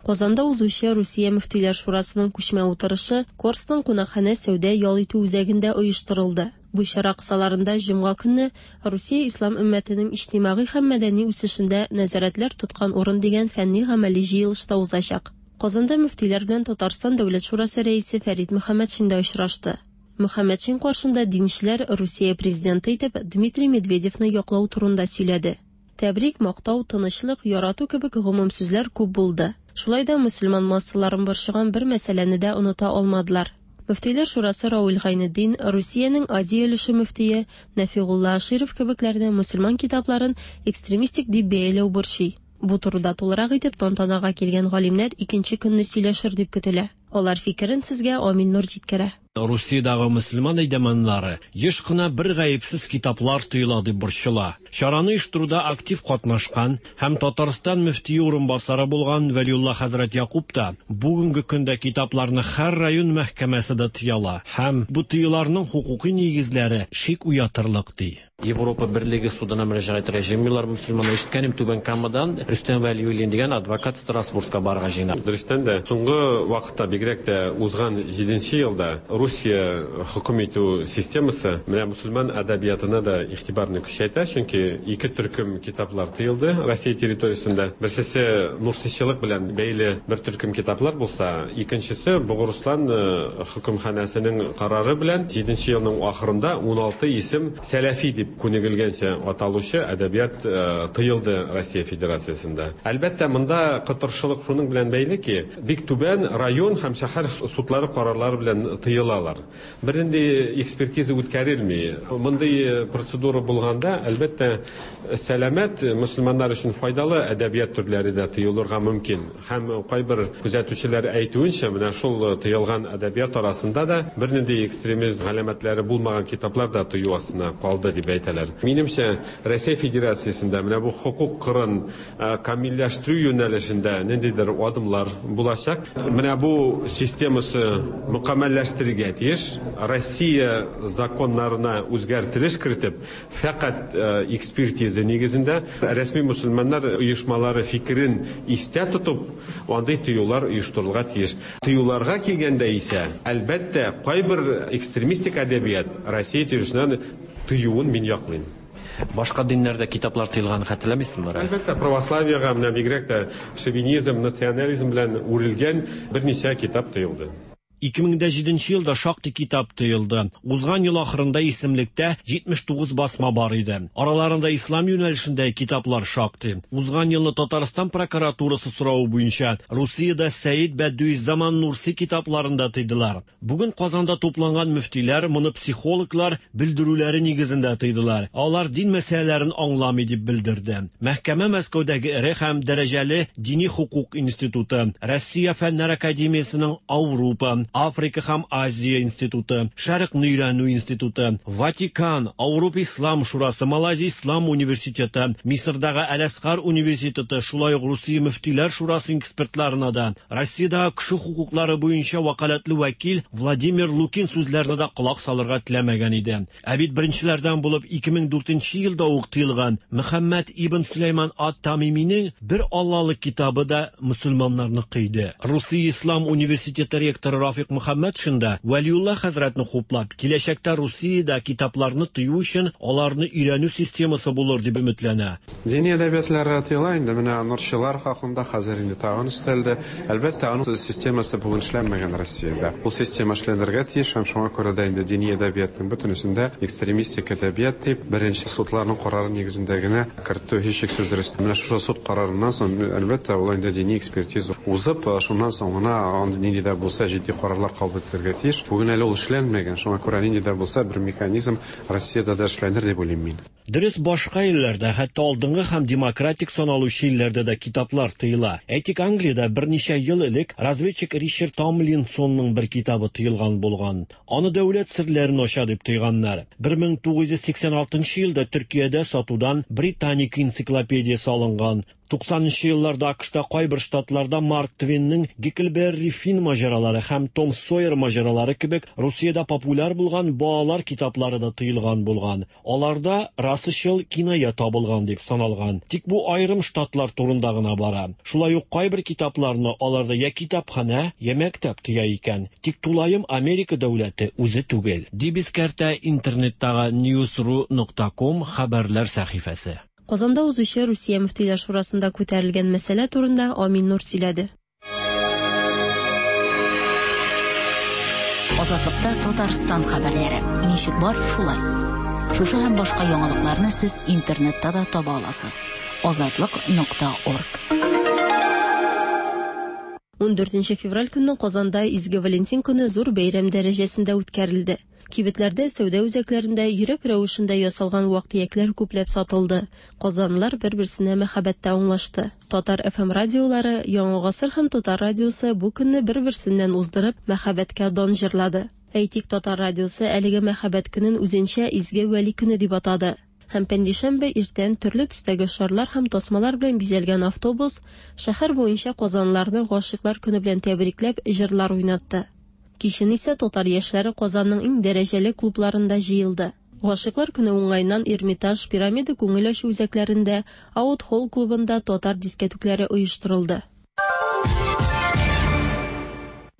Казанда узучы Русия мөфтиләр шурасының күчмә утырышы Корстон кунакханә сәүдә-ял итү үзәгендә оештырылды. Бу чара кысаларында җомга көнне Русия ислам өммәтенең иҗтимагый һәм мәдәни үсешендә нәзарәтләр тоткан урын дигән фәнни-гамәли җыелыш та узачак. Казанда мөфтиләр белән Татарстан Дәүләт шурасы рәисе Фәрит Мөхәммәтшин дә очрашты. Мөхәммәтшин каршында динчеләр Русия президенты итеп Дмитрий Медведевны яклау турында сөйләде. Тәбрик, мактау, тынычлык, ярату кебек гомум сүзләр күп булды. Шулай да мөселман массаларын борчыган бер мәсьәләне дә оныта алмадылар. Мөфтиләр шурасы Равил Гайнетдин, Русиянең Азия өлеше мөфтие Нәфигулла Аширов кебекләрне мөселман китапларын экстремистик дип бәяләү борчый. Бу турыда тулырак итеп тантанага килгән галимнәр икенче көнне сөйләшер дип көтелә. Алар фикерен сезгә Амил Нур җиткерә. Русиядәге мөселман әйдәманнары еш кына бер гаепсез китаплар тыела дип борчыла. Чараны оештыруда актив катнашкан һәм Татарстан мөфтие урынбасары булган Вәлиулла хәзрәт Якуб та бүгенге көндә китапларны һәр район мәхкәмәсе дә тыяла һәм бу тыюларның хокукый нигезләре шик уятырлык ди. Европа Берлеге судына мөрәҗәгать итәргә җыенмыйлар мөселманнар. Ишеткәнем Түбән Камадан Рөстәм Вәлиуллин дигән адвокат Страсбургка барырга җыена. Дөрестән дә, соңгы вакытта, бигрәк тә узган җиденче елда Русия хөкем итү системасы менә мөселман әдәбиятына да игътибарны көчәйтә, чөнки ике төркем китаплар тыелды Россия территориясендә. Берсесе нурсичылык белән бәйле бер төркем китаплар булса, икенчесе Богырыслан хөкемханәсенең карары белән җиденче елның ахырында 16 исем Сәләфи дип күнегелгәнчә аталучы әдәбият тыелды Россия Федерациясендә. Әлбәттә, монда кытыршылык шуның белән бәйле ки, бик түбән район һәм шәһәр судлары карарлары белән тыелалар. Бернинди экспертиза үткәрелми. Мондый процедура булганда, әлбәттә, сәламәт, мөселманнар өчен файдалы әдәбият төрләре дә тыелырга мөмкин. Һәм кайбер күзәтүчеләр әйтүенчә, менә шул тыелган әдәбият арасында да бернинди экстремизм галәмәтләре булмаган китаплар да тыю астына калды дип әйтәләр. Минемчә, Рәсәй Федерациясендә менә бу хокук кырын камилләштерү юнәлешендә ниндидер адымлар булачак. Менә бу системасы мөкәммәлләштерергә тиеш. Россия законнарына үзгәртелеш кертеп, Фәкать экспертиза нигезендә, рәсми мөселманнар оешмалары фикерен истә тотып, андый тыюлар оештырылырга тиеш. Тыюларга килгәндә исә, әлбәттә, кайбер экстремистик әдәбият Россия территориясеннән тыюын мин яклыйм. Башка диннәрдә китаплар тыелганын хәтерләмисезме? Әлбәттә, православиегә, менә бигрәк тә шовинизм, национализм белән үрелгән берничә китап тыелды. 2007 елда шактый китап тыелды. Узган ел ахырында исемлектә 79 басма бар иде. Араларында ислам юнәлешендәге китаплар шактый. Узган елны Татарстан прокуратурасы соравы буенча Русиядә Сәид Бәдүиззаман Нурси китапларын да тыйдылар. Бүген Казанда тупланган мөфтиләр моны психологлар белдерүләре нигезендә тыйдылар. Алар дин мәсьәләләрен аңламый дип белдерде. Мәхкәмә Мәскәүдәге эре һәм дәрәҗәле дини хокук институты, Россия фәннәр академиясенең Ауропа, Африка һәм Азия институты, Шәрыкны өйрәнү институты, Ватикан, Ауропа ислам шурасы, Малайзия ислам университеты, Мисырдагы Әл-Әсхар университеты, шулай ук Русия мөфтиләр шурасы экспертларына да, Россиядәге кеше хокуклары буенча вәкаләтле вәкил Владимир Лукин сүзләренә дә колак салырга теләмәгән иде. Ә бит беренчеләрдән булып 2004 елда ук тыелган Мөхәммәд ибн Сөләйман ат-Тамиминең Бер Аллалы китабы да мөселманнарны кыйды. Русия ислам университеты ректоры Рафик Мөхәммәтшин да Вәлиулла хәзрәтне хуплап, киләчәктә Русиядә китапларны тыю өчен аларны өйрәнү системасы булыр дип өметләнә. Дини әдәбиятлар тыела инде, менә нурчылар хакында хәзер инде тагын өстәлде. Әлбәттә, аның системасы бүген эшләнмәгән Россиядә. Ул система эшләнергә тиеш һәм шуңа күрә дә инде дини әдәбиятның бөтенесен дә экстремистик әдәбият дип, беренче судларның карары нигезендә генә кертү һичшиксез дөрес. Менә шушы суд карарыннан соң, әлбәттә, ул инде дини экспертиза узып, шуннан соң гына андый нинди дә булса җитди карарлар кабул ителергә тиеш. Бүген әле ул эшләнмәгән, шуңа күрә нинди дә булса бер механизм Россиядә дә эшләнер дип уйлыйм мин. Дөрес, башка илләрдә, хәтта алдынгы һәм демократик саналучы илләрдә дә китаплар тыела. Әйтик, Англиядә берничә ел элек разведчик Ричард Томлинсонның бер китабы тыелган булган. Аны дәүләт серләрен ача дип тыйганнар. 1986 елда Төркиядә сатудан Британика энциклопедиясе алынган. 90 нчы елларда АКШта кайбер штатларда Марк Твенның Гекльберри Финн маҗаралары һәм Том Сойер маҗаралары кебек Русиядә популяр булган балалар китаплары да тыелган булган. Аларда расачыл киная табылган дип саналган. Тик бу аерым штатлар турында гына бара. Шулай ук кайбер китапларны аларда я китапханә, я мәктәп тыя икән. Тик тулаем Америка дәүләте үзе түгел, дип искәртә интернеттагы newsru нокта ком хәбәрләр сәхифәсе. Казанда узучы Русия мөфтиләр шурасында күтәрелгән мәсьәлә турында Амин Нур сөйләде. Азатлыкта Татарстан хәбәрләре. Ничек бар, шулай. Шушы һәм башка яңалыкларны сез интернетта да таба аласыз. Азатлык нокта орг. 14 февраль көнне Казанда Изге Валентин көне зур бәйрәм дәрәҗәсендә үткәрелде. Кибетләрдә, сәүдә үзәкләрендә йөрәк рәвешендә ясалган вак-төякләр күпләп сатылды. Казанлылар бер-берсенә мәхәббәттә аңлашты. Татар FM радиолары, Яңа гасыр һәм Татар радиосы бу көнне бер-берсеннән уздырып, мәхәббәткә дан җырлады. Әйтик, Татар радиосы әлеге мәхәббәт көнен үзенчә Изге Вәли көне дип атады. Һәм пәнҗешәмбе иртән төрле төстәге шарлар һәм тасмалар белән бизәлгән автобус шәһәр буенча казанлыларны Гашыйклар көне белән тәбрикләп җырлар уйнатты. Кичен исә татар яшьләре Казанның иң дәрәҗәле клубларында җыелды. Гашыйклар көне уңаеннан Эрмитаж, Пирамида күңел ачу үзәкләрендә, Аут-холл клубында татар дискәтүкләре оештырылды.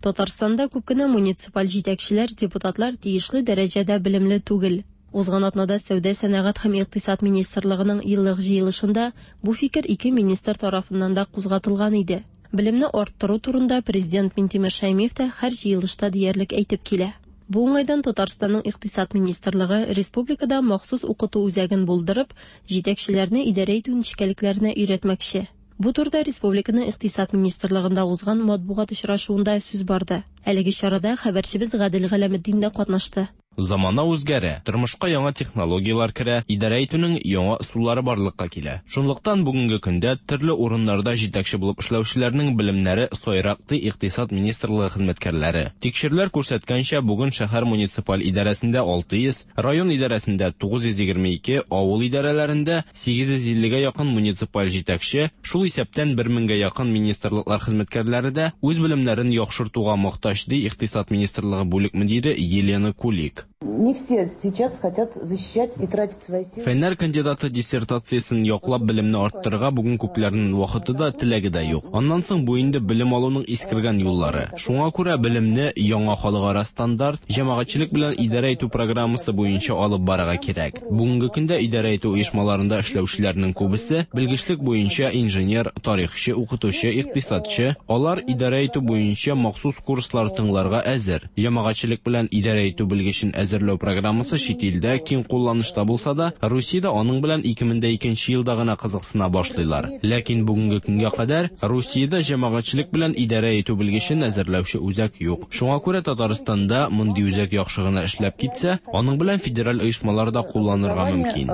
Татарстанда күп кенә муниципаль җитәкчеләр, депутатлар тиешле дәрәҗәдә белемле түгел. Узган атнада Сәүдә, сәнәгать һәм икътисад министрлыгының еллык җыелышында бу фикер ике министр тарафыннан да кузгатылган иде. Белемне арттыру турында президент Минтимер Шәймиев тә һәр җыелышта диярлек әйтеп килә. Бу уңайдан Татарстанның Икътисад министрлыгы республикада махсус укыту үзәген булдырып, җитәкчеләрне идарә итү нечкәлекләренә өйрәтмәкче. Бу турыда республиканың Икътисад министрлыгында узган матбугат очрашуында сүз барды. Әлеге чарада хәбәрчебез Гадел Галәметдин дә катнашты. Замана үзгәрә, тормышка яңа технологияләр керә, идарә итүнең яңа ысуллары барлыкка килә. Шунлыктан бүгенге көндә төрле урыннарда җитәкче булып эшләүчеләрнең белемнәре сайрак, ди Икътисад министрлыгы хезмәткәрләре. Тикшерүләр күрсәткәнчә, бүген шәһәр муниципаль идарәсендә 600, район идарәсендә 922, авыл идарәләрендә 850 гә якын муниципаль җитәкче, шул исәптән бер меңгә якын министрлыклар хезмәткәрләре дә үз белемнәрен яхшыртуга мохтаҗ, ди Икътисад министрлыгы бүлек мөдире Елена Кулик. Не все сейчас хотят защищать и тратить свои силы. Фәннәр кандидаты диссертациясен яклап белемне арттырырга бүген күпләрнең вакыты да, теләге дә юк. Аннан соң бу инде белем алуның искергән юллары. Шуңа күрә белемне яңа халыкара стандарт, җәмәгатьчелек белән идарә итү программасы буенча алып барырга кирәк. Бүгенге көндә идарә итү оешмаларында эшләүчеләрнең күбесе, белгечлек буенча инженер, тарихчы, укытучы, икътисадчы, алар идарә итү буенча махсус курслар тыңларга әзер. Җәмәгатьчелек белән идарә итү белгечен әзерләү программасы чит илдә киң кулланышта булса да, Русиядә аның белән 2002 нче елда гына кызыксына башлыйлар. Ләкин бүгенге көнгә кадәр Русиядә җәмәгатьчелек белән идарә итү белгечен әзерләүче үзәк юк. Шуңа күрә Татарстанда мондый үзәк яхшы гына эшләп китсә, аның белән федераль оешмалар да кулланырга мөмкин.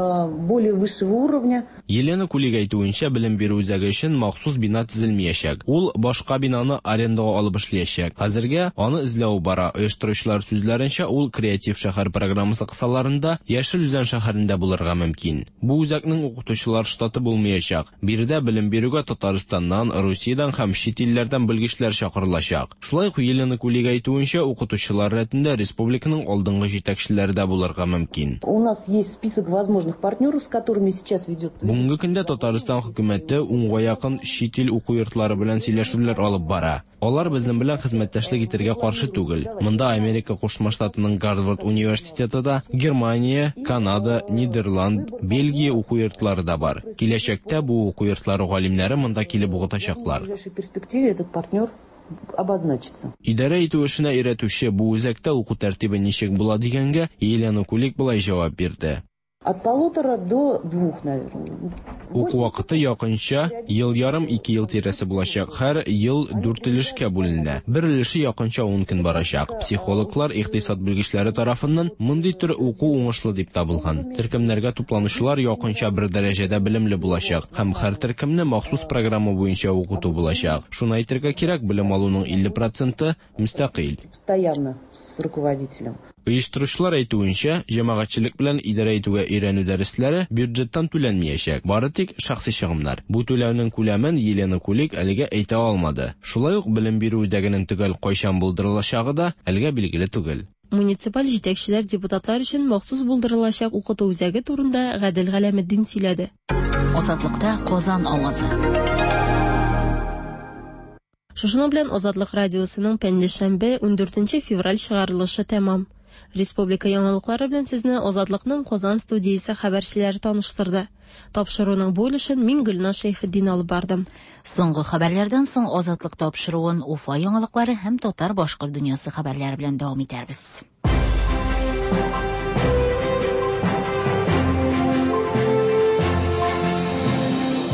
Более высшего уровня. Елена Кулик әйтүенчә, белем бирү үзәге өчен махсус бина төзелмиячәк. Ул башка бинаны арендага алып эшлиячәк. Хәзергә аны эзләү бара. Оештыручылар сүзләренчә, ул Креатив шәһәр программасы кысаларында Яшел Үзән шәһәрендә булырга мөмкин. Бу үзәкнең укытучылар штаты булмыячак. Биредә белем бирүгә Татарстаннан, Русиядән һәм чит илләрдән белгечләр чакырылачак. Шулай ук Елена Кулик әйтүенчә, укытучылар рәтендә республиканың алдынгы җитәкчеләре дә булырга мөмкин. У нас есть список возможных партнеров, с которыми сейчас ведет. Бүгенге көндә Татарстан хөкүмәте унга якын чит ил уку йортлары белән сөйләшүләр алып бара. Алар безнең белән хезмәттәшлек итәргә каршы түгел. Монда Америка Кушма Штатының Гарвард университеты да, Германия, Канада, Нидерланд, Бельгия уку йортлары да бар. Киләчәктә бу уку йортлары галимнәре монда килеп укытачаклар. В ближайшей перспективе этот партнер обозначится. Идарә итү эшенә өйрәтүче бу үзәктә уку тәртибе ничек була дигәнгә, Елена Кулик болай җавап бирде. От полутора до двух, наверное. Уку вакыты якынча ел ярым-ике ел тирәсе булачак. Һәр ел дүрт өлешкә бүленә. Бер өлеше якынча ун көн барачак. Психологлар, икътисад белгечләре тарафыннан мондый төр уку уңышлы дип табылган. Төркемнәргә тупланучылар якынча бер дәрәҗәдә белемле булачак һәм һәр төркемне махсус программа буенча укыту булачак. Шуны әйтергә кирәк, белем алуның 50 проценты, мөстәкыйль. Постоянно с руководителем. Оештыручылар әйтүенчә, җәмәгатьчелек белән идарә итүгә өйрәнү дәресләре бюджеттан түләнмиячәк, бары тик шәхси чыгымнар. Бу түләүнең күләмен Елена Кулик әлегә әйтә алмады. Шулай ук белем бирү үзәгенең төгәл кайчан булдырылачагы да әлегә билгеле түгел. Муниципаль җитәкчеләр депутатлар өчен махсус булдырылачак укыту үзәге турында Гадел Галәметдин сөйләде. Азатлыкта Казан авазы. Шушының белән Азатлык радиосының пәнҗешәмбе, ундүртенче февраль чыгарылышы тәмам. Республика яңалыклары белән сезне Азатлыкның Казан студиясе хәбәрчеләре таныштырды. Тапшыруның бу өлешен мин Гөлназ Шәйхетдин алып бардым. Соңгы хәбәрләрдән соң Азатлык тапшыруын Уфа яңалыклары һәм татар-башкорт дөньясы хәбәрләре белән дәвам итәрбез.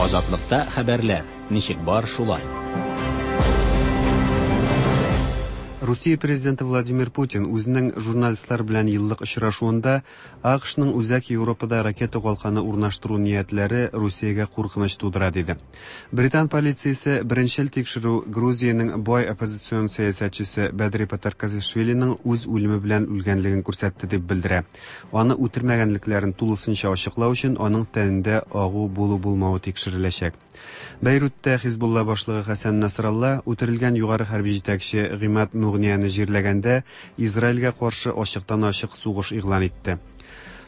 Азатлыкта хәбәрләр, ничек бар шулай. Русия президенты Владимир Путин үзенең журналистлар белән еллык очрашуында АКШның Үзәк Европада ракета калканы урнаштыру ниятләре Русиягә куркыныч тудыра диде. Британ полициясе беренчел тикшерү Грузиянең бай оппозицион сәясәтчесе Бәдри Патаркацишвилиның үз үлеме белән үлгәнлеген күрсәтте дип белдерә. Аны үтермәгәнлекләрен тулысынча ачыклау өчен аның тәнендә агу булу-булмавы тикшереләчәк. Бәйрутта Хизбулла башлыгы Хәсән Насралла үтерелгән югары хәрби җитәкче Гыймад Мугнияне җирләгәндә Израильгә каршы ачыктан-ачык сугыш игълан итте.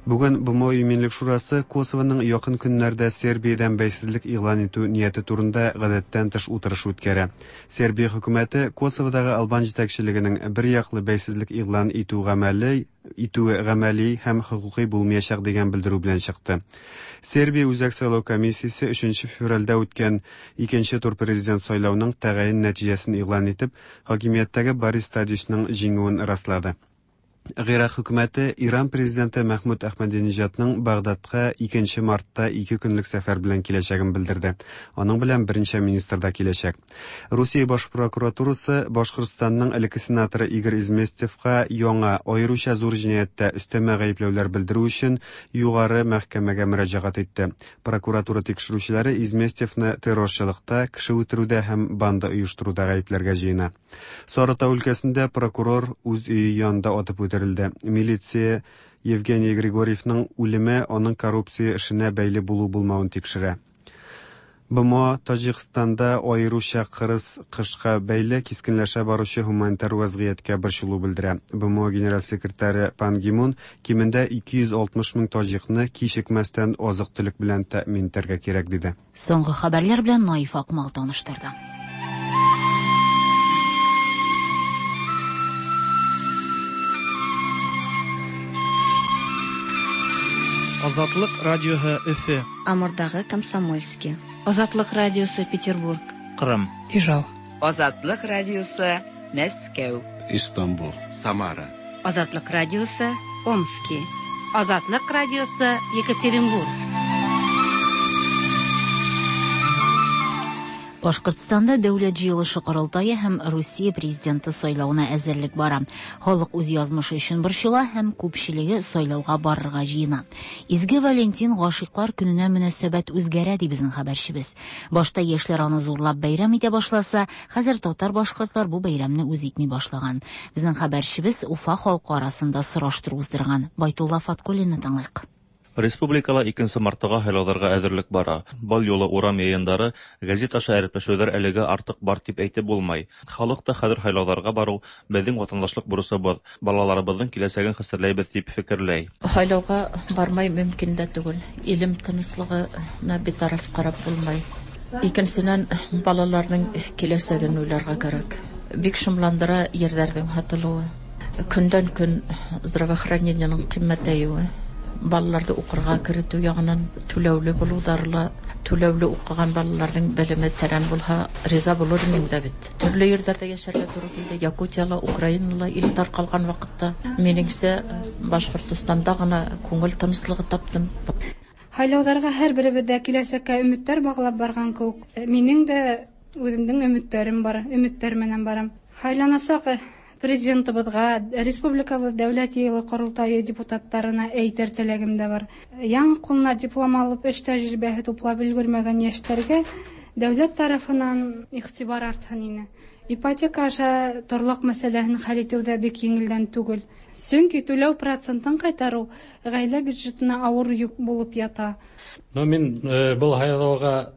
Бүген БМО Иминлек шурасы Косовоның якын көннәрдә Сербиядән бәйсезлек игълан итү нияте турында гадәттән тыш утырыш үткәрә. Сербия хөкүмәте Косоводагы албан җитәкчелегенең берьяклы бәйсезлек игълан итү гамәле итүе гамәли һәм хокукый булмыячак дигән белдерү белән чыкты. Сербия Үзәк сайлау комиссиясе 3 февральдә үткән икенче тур президент сайлауның тәгаен нәтиҗәсен игълан итеп, хакимияттәге Борис Тадичның җиңүен раслады. Гыйрак хөкүмәте Иран президенты Мәхмүд Әхмәдиниҗадның Багдадка 2 мартта ике көнлек сәфәр белән киләчәген белдерде. Аның белән берничә министр да киләчәк. Русия баш прокуратурасы Башкортстанның элекке сенаторы Игорь Изместьевка яңа, аеруча зур җинаятьтә өстәмә гаепләүләр белдерү өчен Югары мәхкәмәгә мөрәҗәгать итте. Прокуратура тикшерүчеләре Изместьевны террорчылыкта, кеше үтерүдә һәм банда оештыруда гаепләргә җыена. Сарытау өлкәсендә прокурор үз өе янында атып үтерелде. Милиция Евгений Григорьевның үлеме аның коррупция эшенә бәйле булу-булмавын тикшерә. БМО Таҗикстанда аеруча кырыс кышка бәйле кискенләшә баручы һуманитар вәзгыятькә борчылу белдерә. БМО генераль секретаре Пан Ги Мун кимендә 260 мең таҗикны кичекмәстән азык-төлек белән тәэмин итәргә кирәк диде. Соңгы хәбәрләр белән Наиф Акмал таныштырды. Азатлык радиоһы Өфе. Амурдагы Комсомольски. Азатлык радиосы Петербург. Кырым. Ижау. Азатлык радиосы Мәскәү. Истанбул. Самара. Азатлык радиосы Омски. Азатлык радиосы Екатеринбург. Башкортстанда Дәүләт җыелышы корылтае һәм Русия президенты сайлавына әзерлек бара. Халык үз язмышы өчен борчыла һәм күпчелеге сайлауга барырга җыена. Изге Валентин гашыйклар көненә мөнәсәбәт үзгәрә, ди безнең хәбәрчебез. Башта яшьләр аны зурлап бәйрәм итә башласа, хәзер татар-башкортлар бу бәйрәмне үз итми башлаган. Безнең хәбәрчебез Уфа халкы арасында сораштыру уздырган. Байтулла Фаткуллинны тыңлыйк. Республикала 2 мартыга һайлауларга әзерлек бара. Бал юлы урам йыйындары, гәзит аша әрепләшүләр әлегә артык бар дип әйтеп булмай. Халык та хәзер һайлауларга бару безнең ватандашлык бурысыбыз, балаларыбызның киләчәген хәстәрләйбез дип фикерләй. Һайлауга бармай мөмкин дә түгел. Илем тынычлыгына битараф карап булмай. Икенчедән, балаларның киләчәген уйларга кирәк. Бик шомландыра ерләрнең һатылуы. Көндән-көн здравоохранениенең кыйммәтәюе. Балаларны укырга керетү ягыннан түләүле булулары ла, түләүле укыган балаларның белеме тәрән булһа, риза булыр идең дә бит. Төрле җирләрдә яшәргә туры килде. Якутияла, Украинала ил таркалган вакытта. Минеңчә, Башкортостанда гына күңел тынычлыгы таптым. Һайлауҙарға һәр беребеҙ ҙә киләсәккә өмөттәр бағлап барған кеүек. Минең дә үҙемдең өмөттәрем бар, өмөттәр менән барам. Һайланасаҡ президентыбыҙға, республикабыҙ дәүләт йыйылы ҡоролтайы депутаттарына әйтер теләгем дә бар. Яңы ҡулына диплом алып, эш тәжрибәһе туплап өлгөрмәгән йәштәргә дәүләт тарафынан иғтибар артһын ине. Ипотека аша торлаҡ мәсьәләһен хәл итеү ҙә бик еңелдән түгел. Сөнки түләү процентын ҡайтарыу ғаилә бюджетына ауыр йөк булып ята. Ну, мин был һайлауға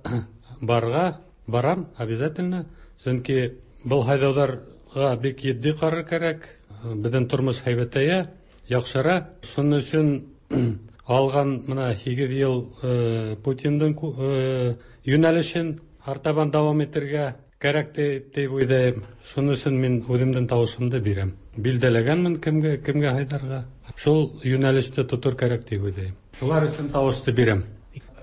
барға барам обязательно, сөнки был һайлауҙарға бик етди ҡарар кәрәк. Беҙҙең тормош һәйбәтәйә, яҡшыра. Шуның өсөн алған мына 8 йыл Путиндың йүнәлешен артабан дауам итергә кәрәк тип уйлайым. Шуның өсөн мин үҙемдең тауышымды бирәм. Билдәләгәнмен кемгә, кемгә һайларға. Шул йүнәлеште тотор кәрәк тип уйлайым. Шулар өсөн тауышты бирәм.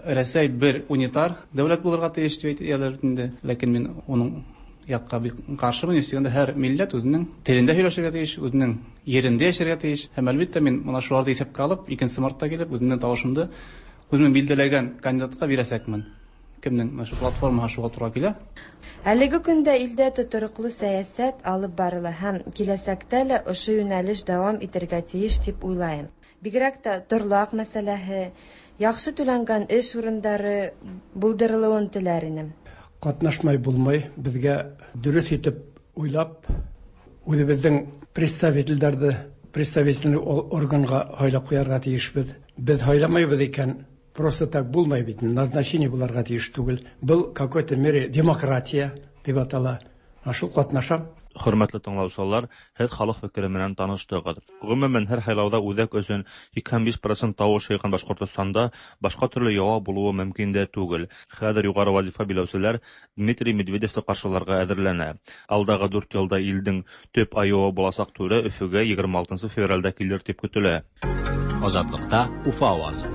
Рәсәй бер унитар дәүләт булырга тейеш дип әйтәләр инде. Ләкин мин уның якка бик каршымын. Өстәгәндә һәр милләт үзенең телендә һөйләшергә тейеш, үзенең ерендә яшәргә тейеш. Һәм әлбәттә мин моны шуларны исәпкә алып, 2 мартта килеп, үземнең тавышымды үземнең билдәләгән кандидатка бирәсәкмен. Кемнең менә шул платформага шуга туры килә. Әлеге көндә илдә тотрыклы сәясәт алып барыла һәм киләчәктә лә ошо юнәлеш дәвам итәргә тиеш дип уйлыйм. Бигрәк тә торлак мәсьәләһе, яхшы түләнгән эш урындары булдырылуын теләр инем. Катнашмай булмый, безгә дөрес итеп уйлап, үзебезнең представительләрне представительный органга һайлап куярга тиешбез. Без һайламайбыз икән, просто так булмай бит, назначение буларга тиеш түгел. Был какой-то мере демократия дип атала. Шул катнашам. Хөрмәтле тыңлаучылар, һеҙ халыҡ фекере менән таныштығыҙ. Ғөмүмән, һәр һайлауҙа үҙәк өсөн 85 процент тауыш йыйған Башҡортостанда башҡа төрлө яуап булыуы мөмкин дә түгел. Хәҙер юғары вазифа биләүселәр Дмитрий Медведевты ҡаршыларға әҙерләнә. Алдағы 4 йылда илдең төп айыуы буласаҡ түрә Өфөгә 26 февралдә килер тип көтөлә. Азатлыкта Уфа авазы.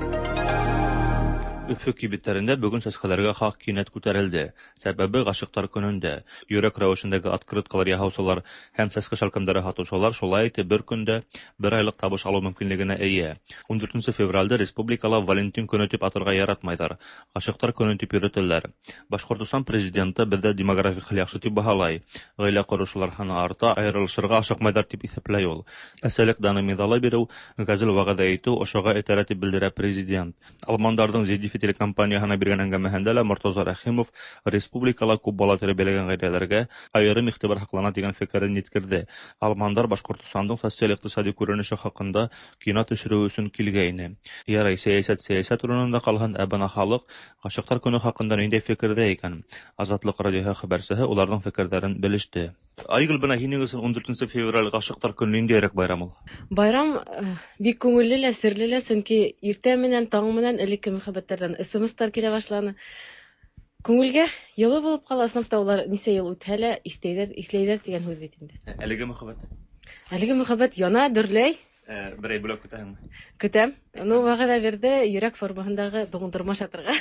Өфө кибеттәрендә бөгөн сәскәләргә хаҡ кинәт күтәрелде. Сәбәбе ғашиҡтар көнөндә. Йөрәк рәүешендәге открыткалар яһаусылар һәм сәскә шәлкемдәре һатыусылар шулай итеп бер көндә бер айлыҡ табыш алыу мөмкинлегенә эйә. 14 февралдә республикала Валентин көнө тип атарға яратмайҙар. Ғашиҡтар көнө тип йөрөтәләр. Башҡортостан президенты беҙҙә демографик хәл яҡшы тип баһалай. Ғаилә ҡороусылар һаны арта, айырылышырға ашыҡмайҙар тип иҫәпләй ул. Әсәлек даны миҙалы биреү, ғәзел вәғәҙә итеү ошоға этәрә тип белдерә президент. Алмандарҙың ZDF телекомпанияһына биргән әңгәмәһендә лә Мортаза Рәхимов республикала күп бала тәрбиәләгән ғаиләләргә айырым иғтибар һаҡлана тигән фекерен еткерҙе. Алмандар Башҡортостандың социаль-иҡтисади күренеше хаҡында кино төшөрөү өсөн килгәйне. Ярай, сәйәсәт сәйәсәт урынында ҡалһын, ә бына халыҡ ғашиҡтар көнө хаҡында ниндәй фекерҙә икән? Азатлыҡ радиоһы хәбәрсеһе уларҙың фекерҙәрен белеште. Айгөл, бына һинең өсөн 14 февраль ғашиҡтар көнө ниндәйерәк байрам ул? Байрам бик күңелле лә, серле лә, сөнки иртә менән, таң менән элекке мөхәббәттәрҙән СМСтар килә башланы. Күңелгә йылы булып ҡала, ысынлап та улар нисә йыл үтһә лә иҫләйҙәр, иҫләйҙәр тигән һүҙ бит инде. Әлеге мөхәббәт? Әлеге мөхәббәт яна, дөрләй. Берәй бүләк көтәһеңме? Көтәм. Ну, вәғәҙә бирҙе йөрәк формаһындағы туңдырма ашатырға.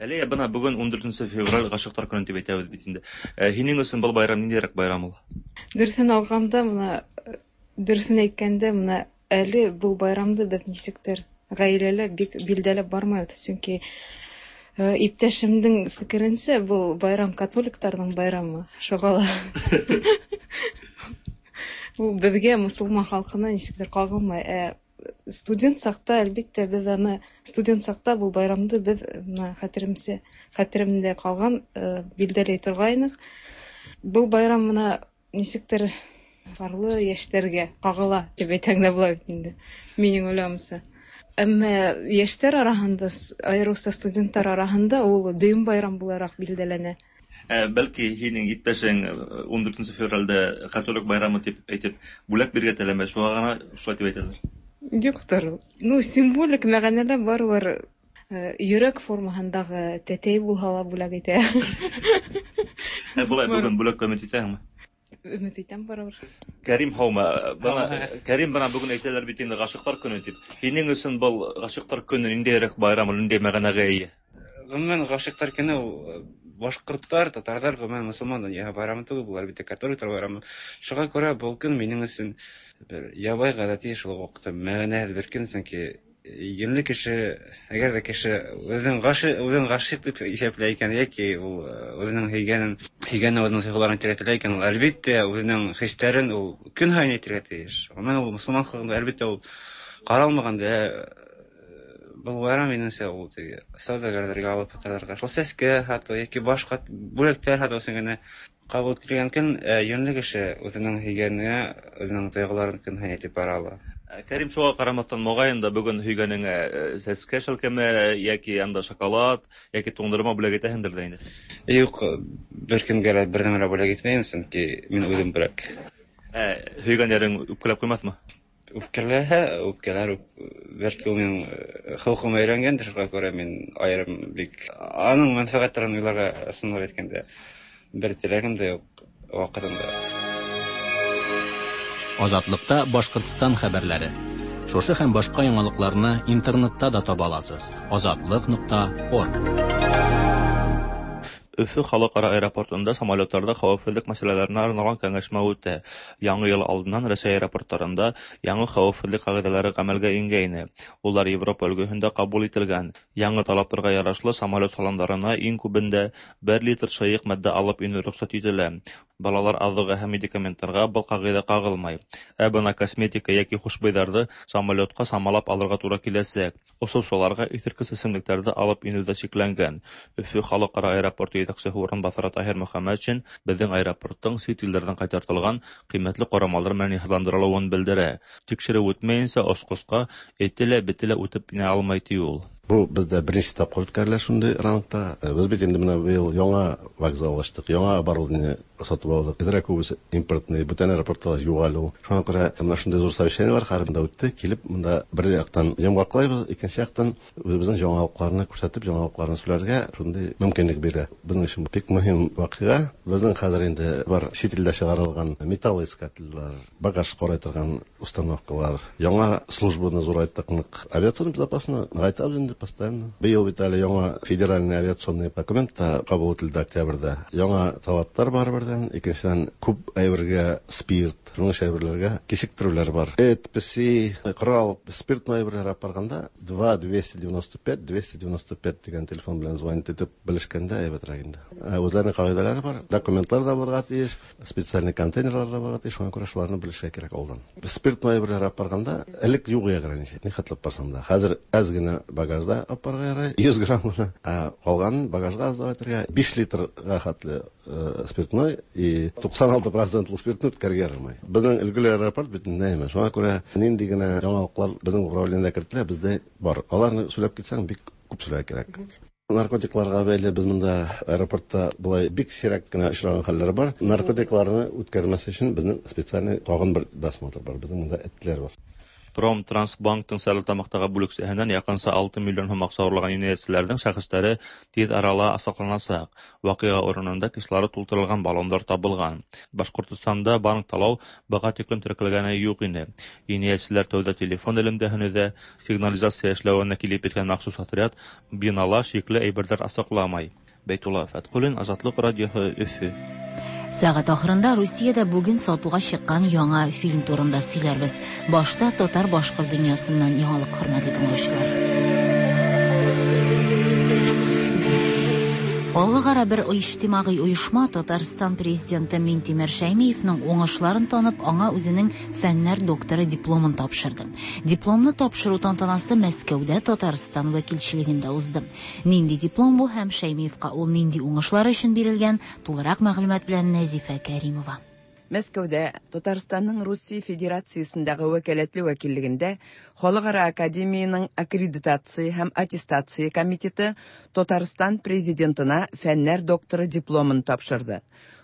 Әле бына бөгөн 14 февраль ғашиҡтар көнө тип әйтәбеҙ бит инде. Һинең өсөн был байрам ниндәйерәк байрам ул? Дөрөҫөн алғанда, бына дөрөҫөн әйткәндә, бына әле был байрамды беҙ нисектер ғаиләлә бик билдәләп бармайбыҙ, сөнки иптәшемдең фекеренсә, был байрам католиктарҙың байрамы, шуға ла ул беҙгә, мосолман халҡына нисектер ҡағылмай. Ә студент саҡта, әлбиттә, беҙ аны студент саҡта был байрамды беҙ бына хәтеремсә, хәтеремдә ҡалған билдәләй торғайныҡ. Был байрам бына нисектер парлы йәштәргә ҡағыла тип әйтһәң дә була бит инде, минең уйлауымса. Әммә йәштәр араһында, айырыуса студенттар араһында ул дөйөм байрам булараҡ билдәләнә. Бәлки һинең иптәшең 14 февралдә католик байрамы тип әйтеп бүләк бирергә теләмәй, шуға ғына шулай тип әйтәләр. Юҡтыр. Ну, символик мәғәнәлә барыбер йөрәк формаһындағы тәтәй булһа ла бүләк итә. Былай бөгөн бүләккә өмөт итәһеңме? Өмөт итәм барыбер. Кәрим, һаумы? Бына Кәрим, бына бөгөн әйтәләр бит инде ғашиҡтар көнө тип. Һинең өсөн был ғашиҡтар көнө ниндәйерәк байрам, ниндәй мәғәнәгә эйә? Ғөмүмән, ғашиҡтар көнө ул башҡорттар, татарҙар, ғөмүмән мосолман донъяһы байрамы түгел, был әлбиттә католиктар байрамы. Шуға күрә был көн минең өсөн бер ябай ғәҙәти, шул уҡ ваҡытта мәғәнәһеҙ бер көн, сөнки йүнле кеше, әгәр ҙә кеше үҙен ғашиҡ тип иҫәпләй икән, йәки ул үҙенең һөйгәнен, һөйгәне үҙенең тойғоларын әйтергә теләй икән, ул әлбиттә үҙенең хистәрен ул көн һайын әйтергә тейеш. Ғөмүмән, ул мосолман халҡында әлбиттә ул ҡаралмаған да. Был байрам минеңсә ул теге сауҙагәрҙәргә, алып һаталарға, шул сәскә һатыу йәки башҡа бүләктәр һатыу өсөн генә ҡабул ителгән көн. Йүнле кеше үҙенең һөйгәненә үҙенең тойғоларын көн һайын әйтеп бара ала. Кәрим, шуға ҡарамаҫтан, моғайын да бөгөн һөйгәнеңә сәскә шәлкеме йәки анда шоколад йәки туңдырма бүләк итәһеңдер ҙә инде? Юҡ, бер кемгә лә бер нәмә лә бүләк итмәйем, сөнки мин үҙем бүләк. Һөйгән йәрең үпкәләп ҡуймаҫмы? Үпкәләһә, үпкәләр, бәлки ул минең холҡома өйрәнгәндер, шуға күрә мин айырым бик аның мәнфәғәттәрен уйларға, ысынлап әйткәндә, бер теләгем дә юҡ ваҡытында. Азатлыкта Башҡортостан хәбәрләре. Шушы һәм башҡа яңалыҡларны интернетта да таба аласыз. Азатлык.орг. Өфө халыкара аэропортында самолетларда хәвефһеҙлек мәсьәләләренә арналған кәңәшмә үтә. Яңы йыл алдынан Рәсәй аэропорттарында яңы хәвефһеҙлек ҡағиҙәләре ғәмәлгә ингәйне. Улар Европа өлгөһөндә ҡабул ителгән. Яңы талаптарға ярашлы самолет салондарына иң күбендә 1 литр шыйыҡ матдә алып инеү рөхсәт ителә. Балалар аҙығы һәм медикаменттарға был ҡағиҙә ҡағылмай. Ә бына косметика йәки хушбуйҙарҙы самолетҡа самалап алырға тура киләсәк. Осоусыларға иҫерткес эсемлектәрҙе алып инеү ҙә сикләнгән. Өфө халыҡ-ара аэропорты етәксеһе урынбаҫары Таһир Мөхәммәтшин беҙҙең аэропорттың сит илдәрҙән ҡайтартылған ҡиммәтле ҡорамалдар менән йыһазландырылыуын белдерә. Тикшереү үтмәйенсә осҡосҡа эте лә, бете лә үтеп инә алмай, ти ул. Бу бездә беренче тапкыр үткәрелә шундый рангта. Без бит инде менә быел яңа вокзал ачтык, яңа оборудование сатып алдык. Әзрәк күбесе импортный, бүтән аэропортта юк әле ул. Шуңа күрә менә шундый зур совещаниеләр һәрберендә үтте. Килеп монда бер яктан йомгаклайбыз, икенче яктан үзебезнең яңалыкларны күрсәтеп, яңалыкларны сөйләргә шундый мөмкинлек бирә. Безнең өчен бик мөһим вакыйга. Безнең хәзер инде бар чит илдә чыгарылган металлоискательләр, багаж карый торган установкалар, яңа службаны зурайттык нык. Авиационный безопасность ныгайтабыз инде постоянно. Быел бит әле яңа федеральный авиационный документ та кабул ителде октябрьдә. Яңа талаплар бар бердән, икенчедән күп әйбергә спирт, шуның ише әйберләргә кичектерүләр бар. Эт, песи, корал, спиртной әйберләр алып барганда 2 295 295 дигән телефон белән звонить итеп белешкәндә әйбәтрәк инде. Үзләренең кагыйдәләре бар, документлар да булырга тиеш, специальный контейнерлар да булырга тиеш, шуңа күрә шуларны белешергә кирәк алдан. Спиртной әйберләр алып барганда элек юк иде ограничение, нихәтле алып барсаң да. Хәзер әз генә багажда алып барырга ярый, 100 грамм гына. Ә калганын багажга аз дип әйтергә, 5 литрга хәтле спиртной и 96 процентлы спиртны үткәрергә ярамый. Безнең өлгеле аэропорт бит инде, шуңа күрә нинди генә яңалыклар безнең управлениедә кертелә, бездә бар. Аларны сөйләп китсәң, бик күп сөйләргә кирәк. Наркотикларга бәйле без монда аэропортта болай бик сирәк кенә очраган хәлләр бар. Наркотикларны үткәрмәс өчен безнең специальный тагын бер досмотр бар. Безнең монда этләр бар. Промтрансбанктың Стәрлетамаҡтағы бүлексәһенән яҡынса 6 миллион һум аҡса урлаған енәйәтселәрҙең шәхестәре тиҙ арала асыҡланасаҡ. Ваҡиға урынында кислород тултырылған баллондар табылған. Башҡортостанда банк талау быға тиклем теркәлгәне юҡ ине. Енәйәтселәр тәүҙә телефон элемтәһен өҙә, сигнализация эшләүенә килеп еткән махсус отряд бинала шикле әйберҙәр асыҡламай. Бәйтулла Фәтҡуллин, Азатлыҡ радиоһы, Өфө. Сәгать ахырында Русиядә бүген сатуга чыккан яңа фильм турында сөйләрбез. Башта татар-башкорт дөньясыннан яңалык, хөрмәтле тыңлаучылар. Халыкара бер иҗтимагый оешма Татарстан президенты Минтимер Шәймиевның уңышларын танып, аңа үзенең фәннәр докторы дипломын тапшырды. Дипломны тапшыру тантанасы Мәскәүдә Татарстан вәкилчелегендә узды. Нинди диплом бу һәм Шәймиевка ул нинди уңышлар өчен бирелгән, тулырак мәгълүмат белән Нәзифә Кәримова. Мәскәүдә Татарстанның Русия Федерациясендәге вәкаләтле вәкиллегендә Халыкара академиянең аккредитация һәм аттестация комитеты Татарстан президентына фәннәр докторы дипломын тапшырды.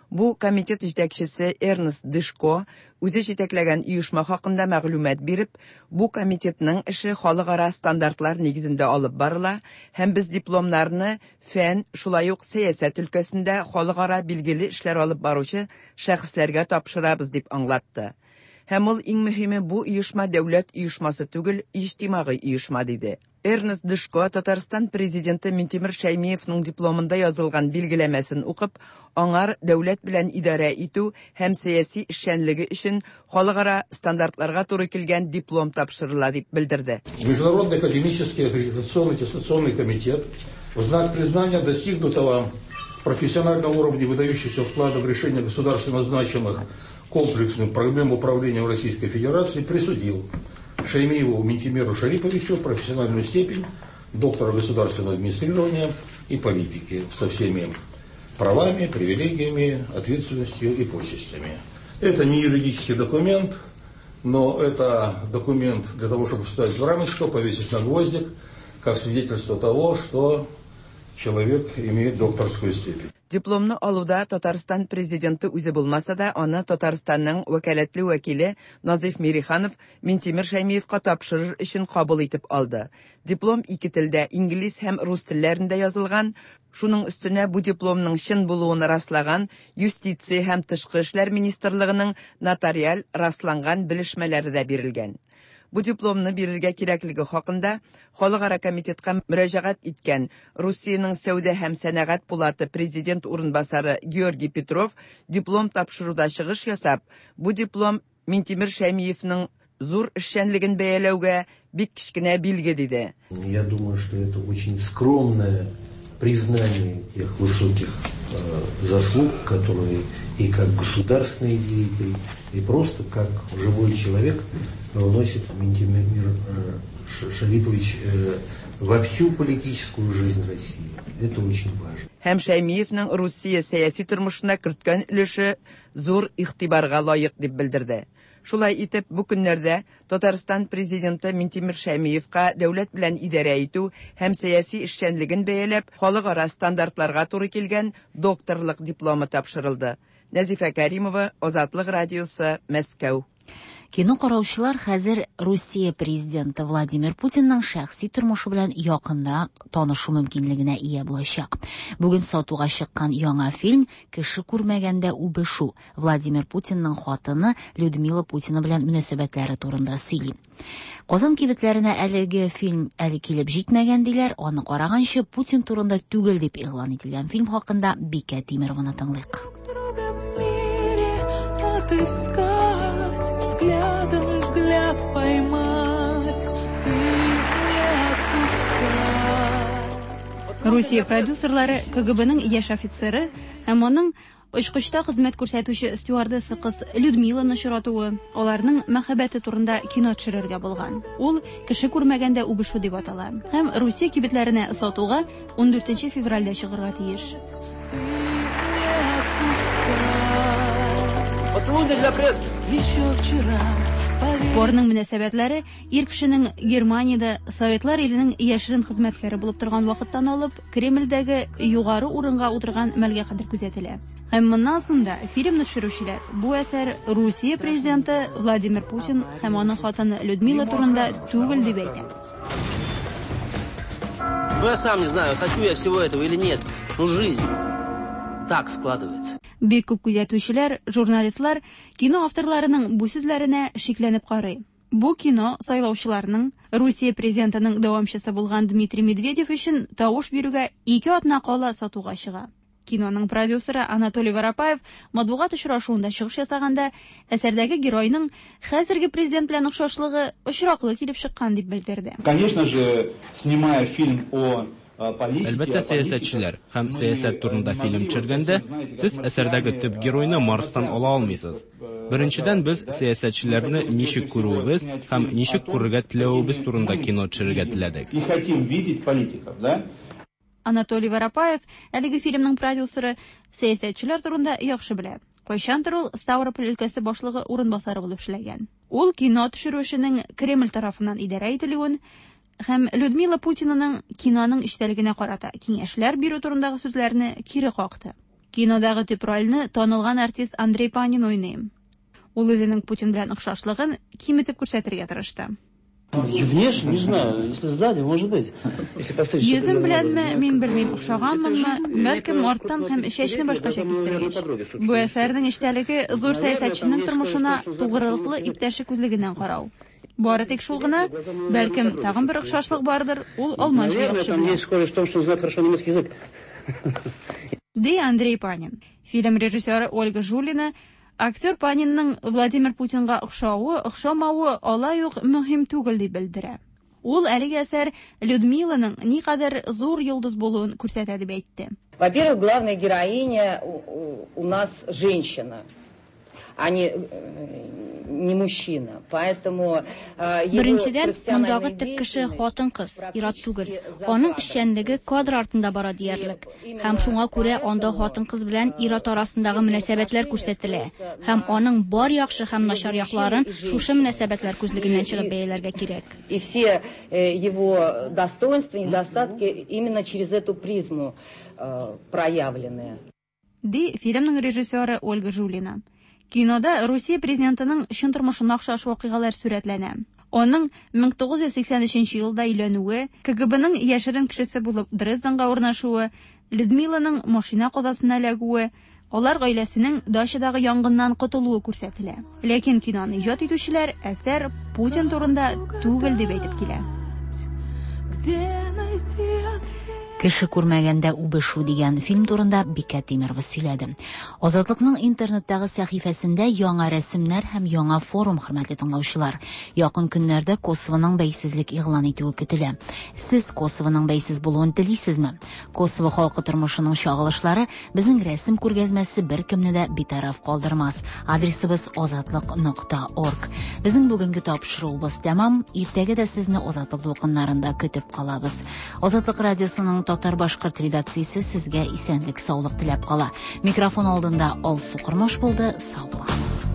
Бу комитет җитәкчесе Эрнест Дышко үзе җитәкләгән оешма хакында мәгълүмат биреп, бу комитетның эше халыкара стандартлар нигезендә алып барыла һәм без дипломнарны фән, шулай ук сәясәт өлкәсендә халыкара билгеле эшләр алып баручы шәхесләргә тапшырабыз дип аңлатты. Һәм ул иң мөһиме бу оешма дәүләт оешмасы түгел, иҗтимагый оешма диде. Эрнест Дышко Татарстан президенты Минтимер Шәймиевның дипломында язылган билгеләмәсен укып, аңар дәүләт белән идарә итү һәм сәяси эшчәнлеге өчен халыкара стандартларга туры килгән диплом тапшырыла дип белдерде. Международный академический аккредитационный аттестационный комитет в знак признания достигнутого профессионального уровня выдающихся вклада в решение государственно значимых комплексных проблем управления в Российской Федерации присудил Шаймиеву Минтимеру Шариповичу профессиональную степень доктора государственного администрирования и политики со всеми правами, привилегиями, ответственностью и почестями. Это не юридический документ, но это документ для того, чтобы вставить в рамочку, повесить на гвоздик, как свидетельство того, что человек имеет докторскую степень. Дипломны алуда Татарстан президенты үзе булмаса да, аны Татарстанның вәкаләтле вәкиле Назиф Мириханов Минтимер Шәймиевка тапшырыр өчен кабул итеп алды. Диплом ике телдә, инглиз һәм рус телләрендә язылган. Шуның өстенә бу дипломның чын булуын раслаган Юстиция һәм тышкы эшләр министрлыгының нотариаль расланган белешмәләре дә бирелгән. Бу дипломны бирергә кирәклеге хакында Халыкара комитетка мөрәҗәгать иткән Русиянең Сәүдә һәм сәнәгать пулаты президент урынбасары Георгий Петров диплом тапшыруда чыгыш ясап, бу диплом Минтимер Шәймиевның зур эшчәнлеген бәяләүгә бик кечкенә билге диде. Я думаю, что это очень скромное признание тех высоких заслуг, которые и как государственный деятель, и просто как живой человек вносит Минтимер Шарипович во всю политическую жизнь России. Это очень важно. Һәм Шәймиевның Русия сәяси тормышына керткән өлеше зур игътибарга лаек дип белдерде. Шулай итеп, бу көннәрдә Татарстан Президенты Минтимер Шәймиевка дәүләт белән идарә итү һәм сәяси эшчәнлеген бәяләп, халыкара стандартларга туры килгән докторлык дипломы тапшырылды. Нәзифә Кәримова, Азатлык радиосы, Мәскәү. Кино караучылар хәзер Русия президенты Владимир Путинның шәхси тормышы белән якынрак танышу мөмкинлегенә ия булачак. Бүген сатуга чыккан яңа фильм Кеше күрмәгәндә үбешү Владимир Путинның хатыны Людмила Путина белән мөнәсәбәтләре турында сөйли. Казан кибетләренә әлеге фильм әле килеп җитмәгән диләр, аны караганчы Путин турында түгел дип игълан ителгән фильм хакында Бикә Тимерованы тыңлыйк. Отыскать, взглядом взгляд поймать, ты не отпускай. Русия продюсерлары КГБның яшь офицеры һәм аның очкычта хезмәт күрсәтүче стюардесса кыз Людмиланы очратуы, аларның мәхәббәте турында кино төшерергә булган. Ул Кеше күрмәгәндә үбешү дип атала һәм Русия кибетләренә сатуга 14 февральдә чыгарга тиеш. Поцелуй для прессы. Еще вчера Парның мөнәсәбәтләре ир кешенең Германиядә Советлар иленең яшерен хезмәткәре булып торган вакыттан алып, Кремльдәге югары урынга утырган мәлгә кадәр күзәтелә. Һәм моннан соң да фильмны төшерүчеләр бу әсәр Русия президенты Владимир Путин һәм аның хатыны Людмила турында түгел дип әйтә. Ну, я сам не знаю, хочу я всего этого или нет, но жизнь так складывается. Бик күп күзәтүчеләр, журналистлар кино авторларының бу сүзләренә шикләнеп карый. Бу кино сайлаучыларның Русия президентының дәвамчысы булган Дмитрий Медведев өчен тавыш бирүгә 2 атна кала сатуга чыга. Киноның продюсеры Анатолий Воропаев матбугат очрашуында чыгыш ясаганда әсәрдәге геройның хәзерге президент белән охшашлыгы очраклы килеп чыккан дип белдерде. Конечно же, снимая фильм о Әлбәттә, сәясәтчеләр һәм сәясәт турында фильм төшергәндә, сез әсәрдәге төп геройны Марстан ала алмыйсыз. Беренчедән, без сәясәтчеләрне ничек күрүебез һәм ничек күрергә теләвебез турында кино төшерергә теләдек. И хотим видеть политиков, да? Анатолий Воропаев, әлеге фильмның продюсеры, сәясәтчеләр турында яхшы белә. Кайчандыр ул Ставрополь өлкәсе башлыгы урынбасары булып эшләгән. Ул кино төшерү эшенең Кремль тарафыннан идарә ителүен һәм Людмила Путинаның киноның эчтәлегенә карата киңәшләр бирү турындагы сүзләрне кире какты. Кинодагы төп рольне танылган артист Андрей Панин уйный. Ул үзенең Путин белән охшашлыгын киметеп күрсәтергә тырышты. Внешне, не знаю, если сзади, может быть. Если постричь. Йөзем беләнме, мин белмим, охшаганмынмы, бәлкем арттан һәм чәчне башкача кистергәч. Бу әсәрнең эчтәлеге зур сәясәтченең тормышына тугрылыклы иптәше күзлегеннән карау. Бары тик шул гына, бәлкем тагын бер охшашлык бардыр, ул алманча Наверное, яхшы там белә. есть кое-что в том, что он знает хорошо немецкий язык. Ди Андрей Панин. Фильм режиссеры Ольга Жулина актер Панинның Владимир Путинга охшавы, охшамавы алай ук мөһим түгел дип белдерә. Ул әлеге әсәр Людмиланың никадәр зур йолдыз булуын күрсәтә дип әйтте. Во-первых, главная героиня у нас женщина, а не мужчина. Поэтому его Беренчедән, профессиональная мондагы төп кеше деятельность хатын-кыз, ир-ат түгел. Аның эшчәнлеге кадр артында бара диярлек. Һәм шуңа күрә анда хатын-кыз белән ир-ат арасындагы мөнәсәбәтләр күрсәтелә. Һәм аның бар яхшы һәм начар якларын шушы мөнәсәбәтләр күзлегеннән чыгып бәяләргә кирәк. И все его достоинства, недостатки именно через эту призму проявлены. Ди фильмның режиссеры Ольга Жулина. Кинода Русия президентының чын тормышына охшаш вакыйгалар сурәтләнә. Аның 1983 елда өйләнүе, КГБның яшерен кешесе булып Дрезденга урнашуы, Людмиланың машина казасына эләгүе, алар гаиләсенең дачадагы янгыннан котылуы күрсәтелә. Ләкин киноны иҗат итүчеләр әсәр Путин турында түгел дип әйтеп килә. Где найти ответ? Кеше күрмәгәндә үбешү дигән фильм турында Бикә Тимерова сөйләде. Азатлыкның интернеттагы сәхифәсендә яңа рәсемнәр һәм яңа форум, хөрмәтле тыңлаучылар. Якын көннәрдә Косовоның бәйсезлек игълан итүе көтелә. Сез Косовоның бәйсез булуын телисезме? Косово халкы тормышының чагылышлары безнең рәсем күргәзмәсе беркемне дә битараф калдырмас. Адресыбыз азатлык нокта орг. Безнең бүгенге тапшыруыбыз тәмам. Иртәгә дә сезне Азатлык дулкыннарында көтеп калабыз. Азатлык радиосының татар-башкорт редакциясе сезгә исәнлек-саулык теләп кала. Микрофон алдында Алсу Кормаш булды. Сау булыгыз.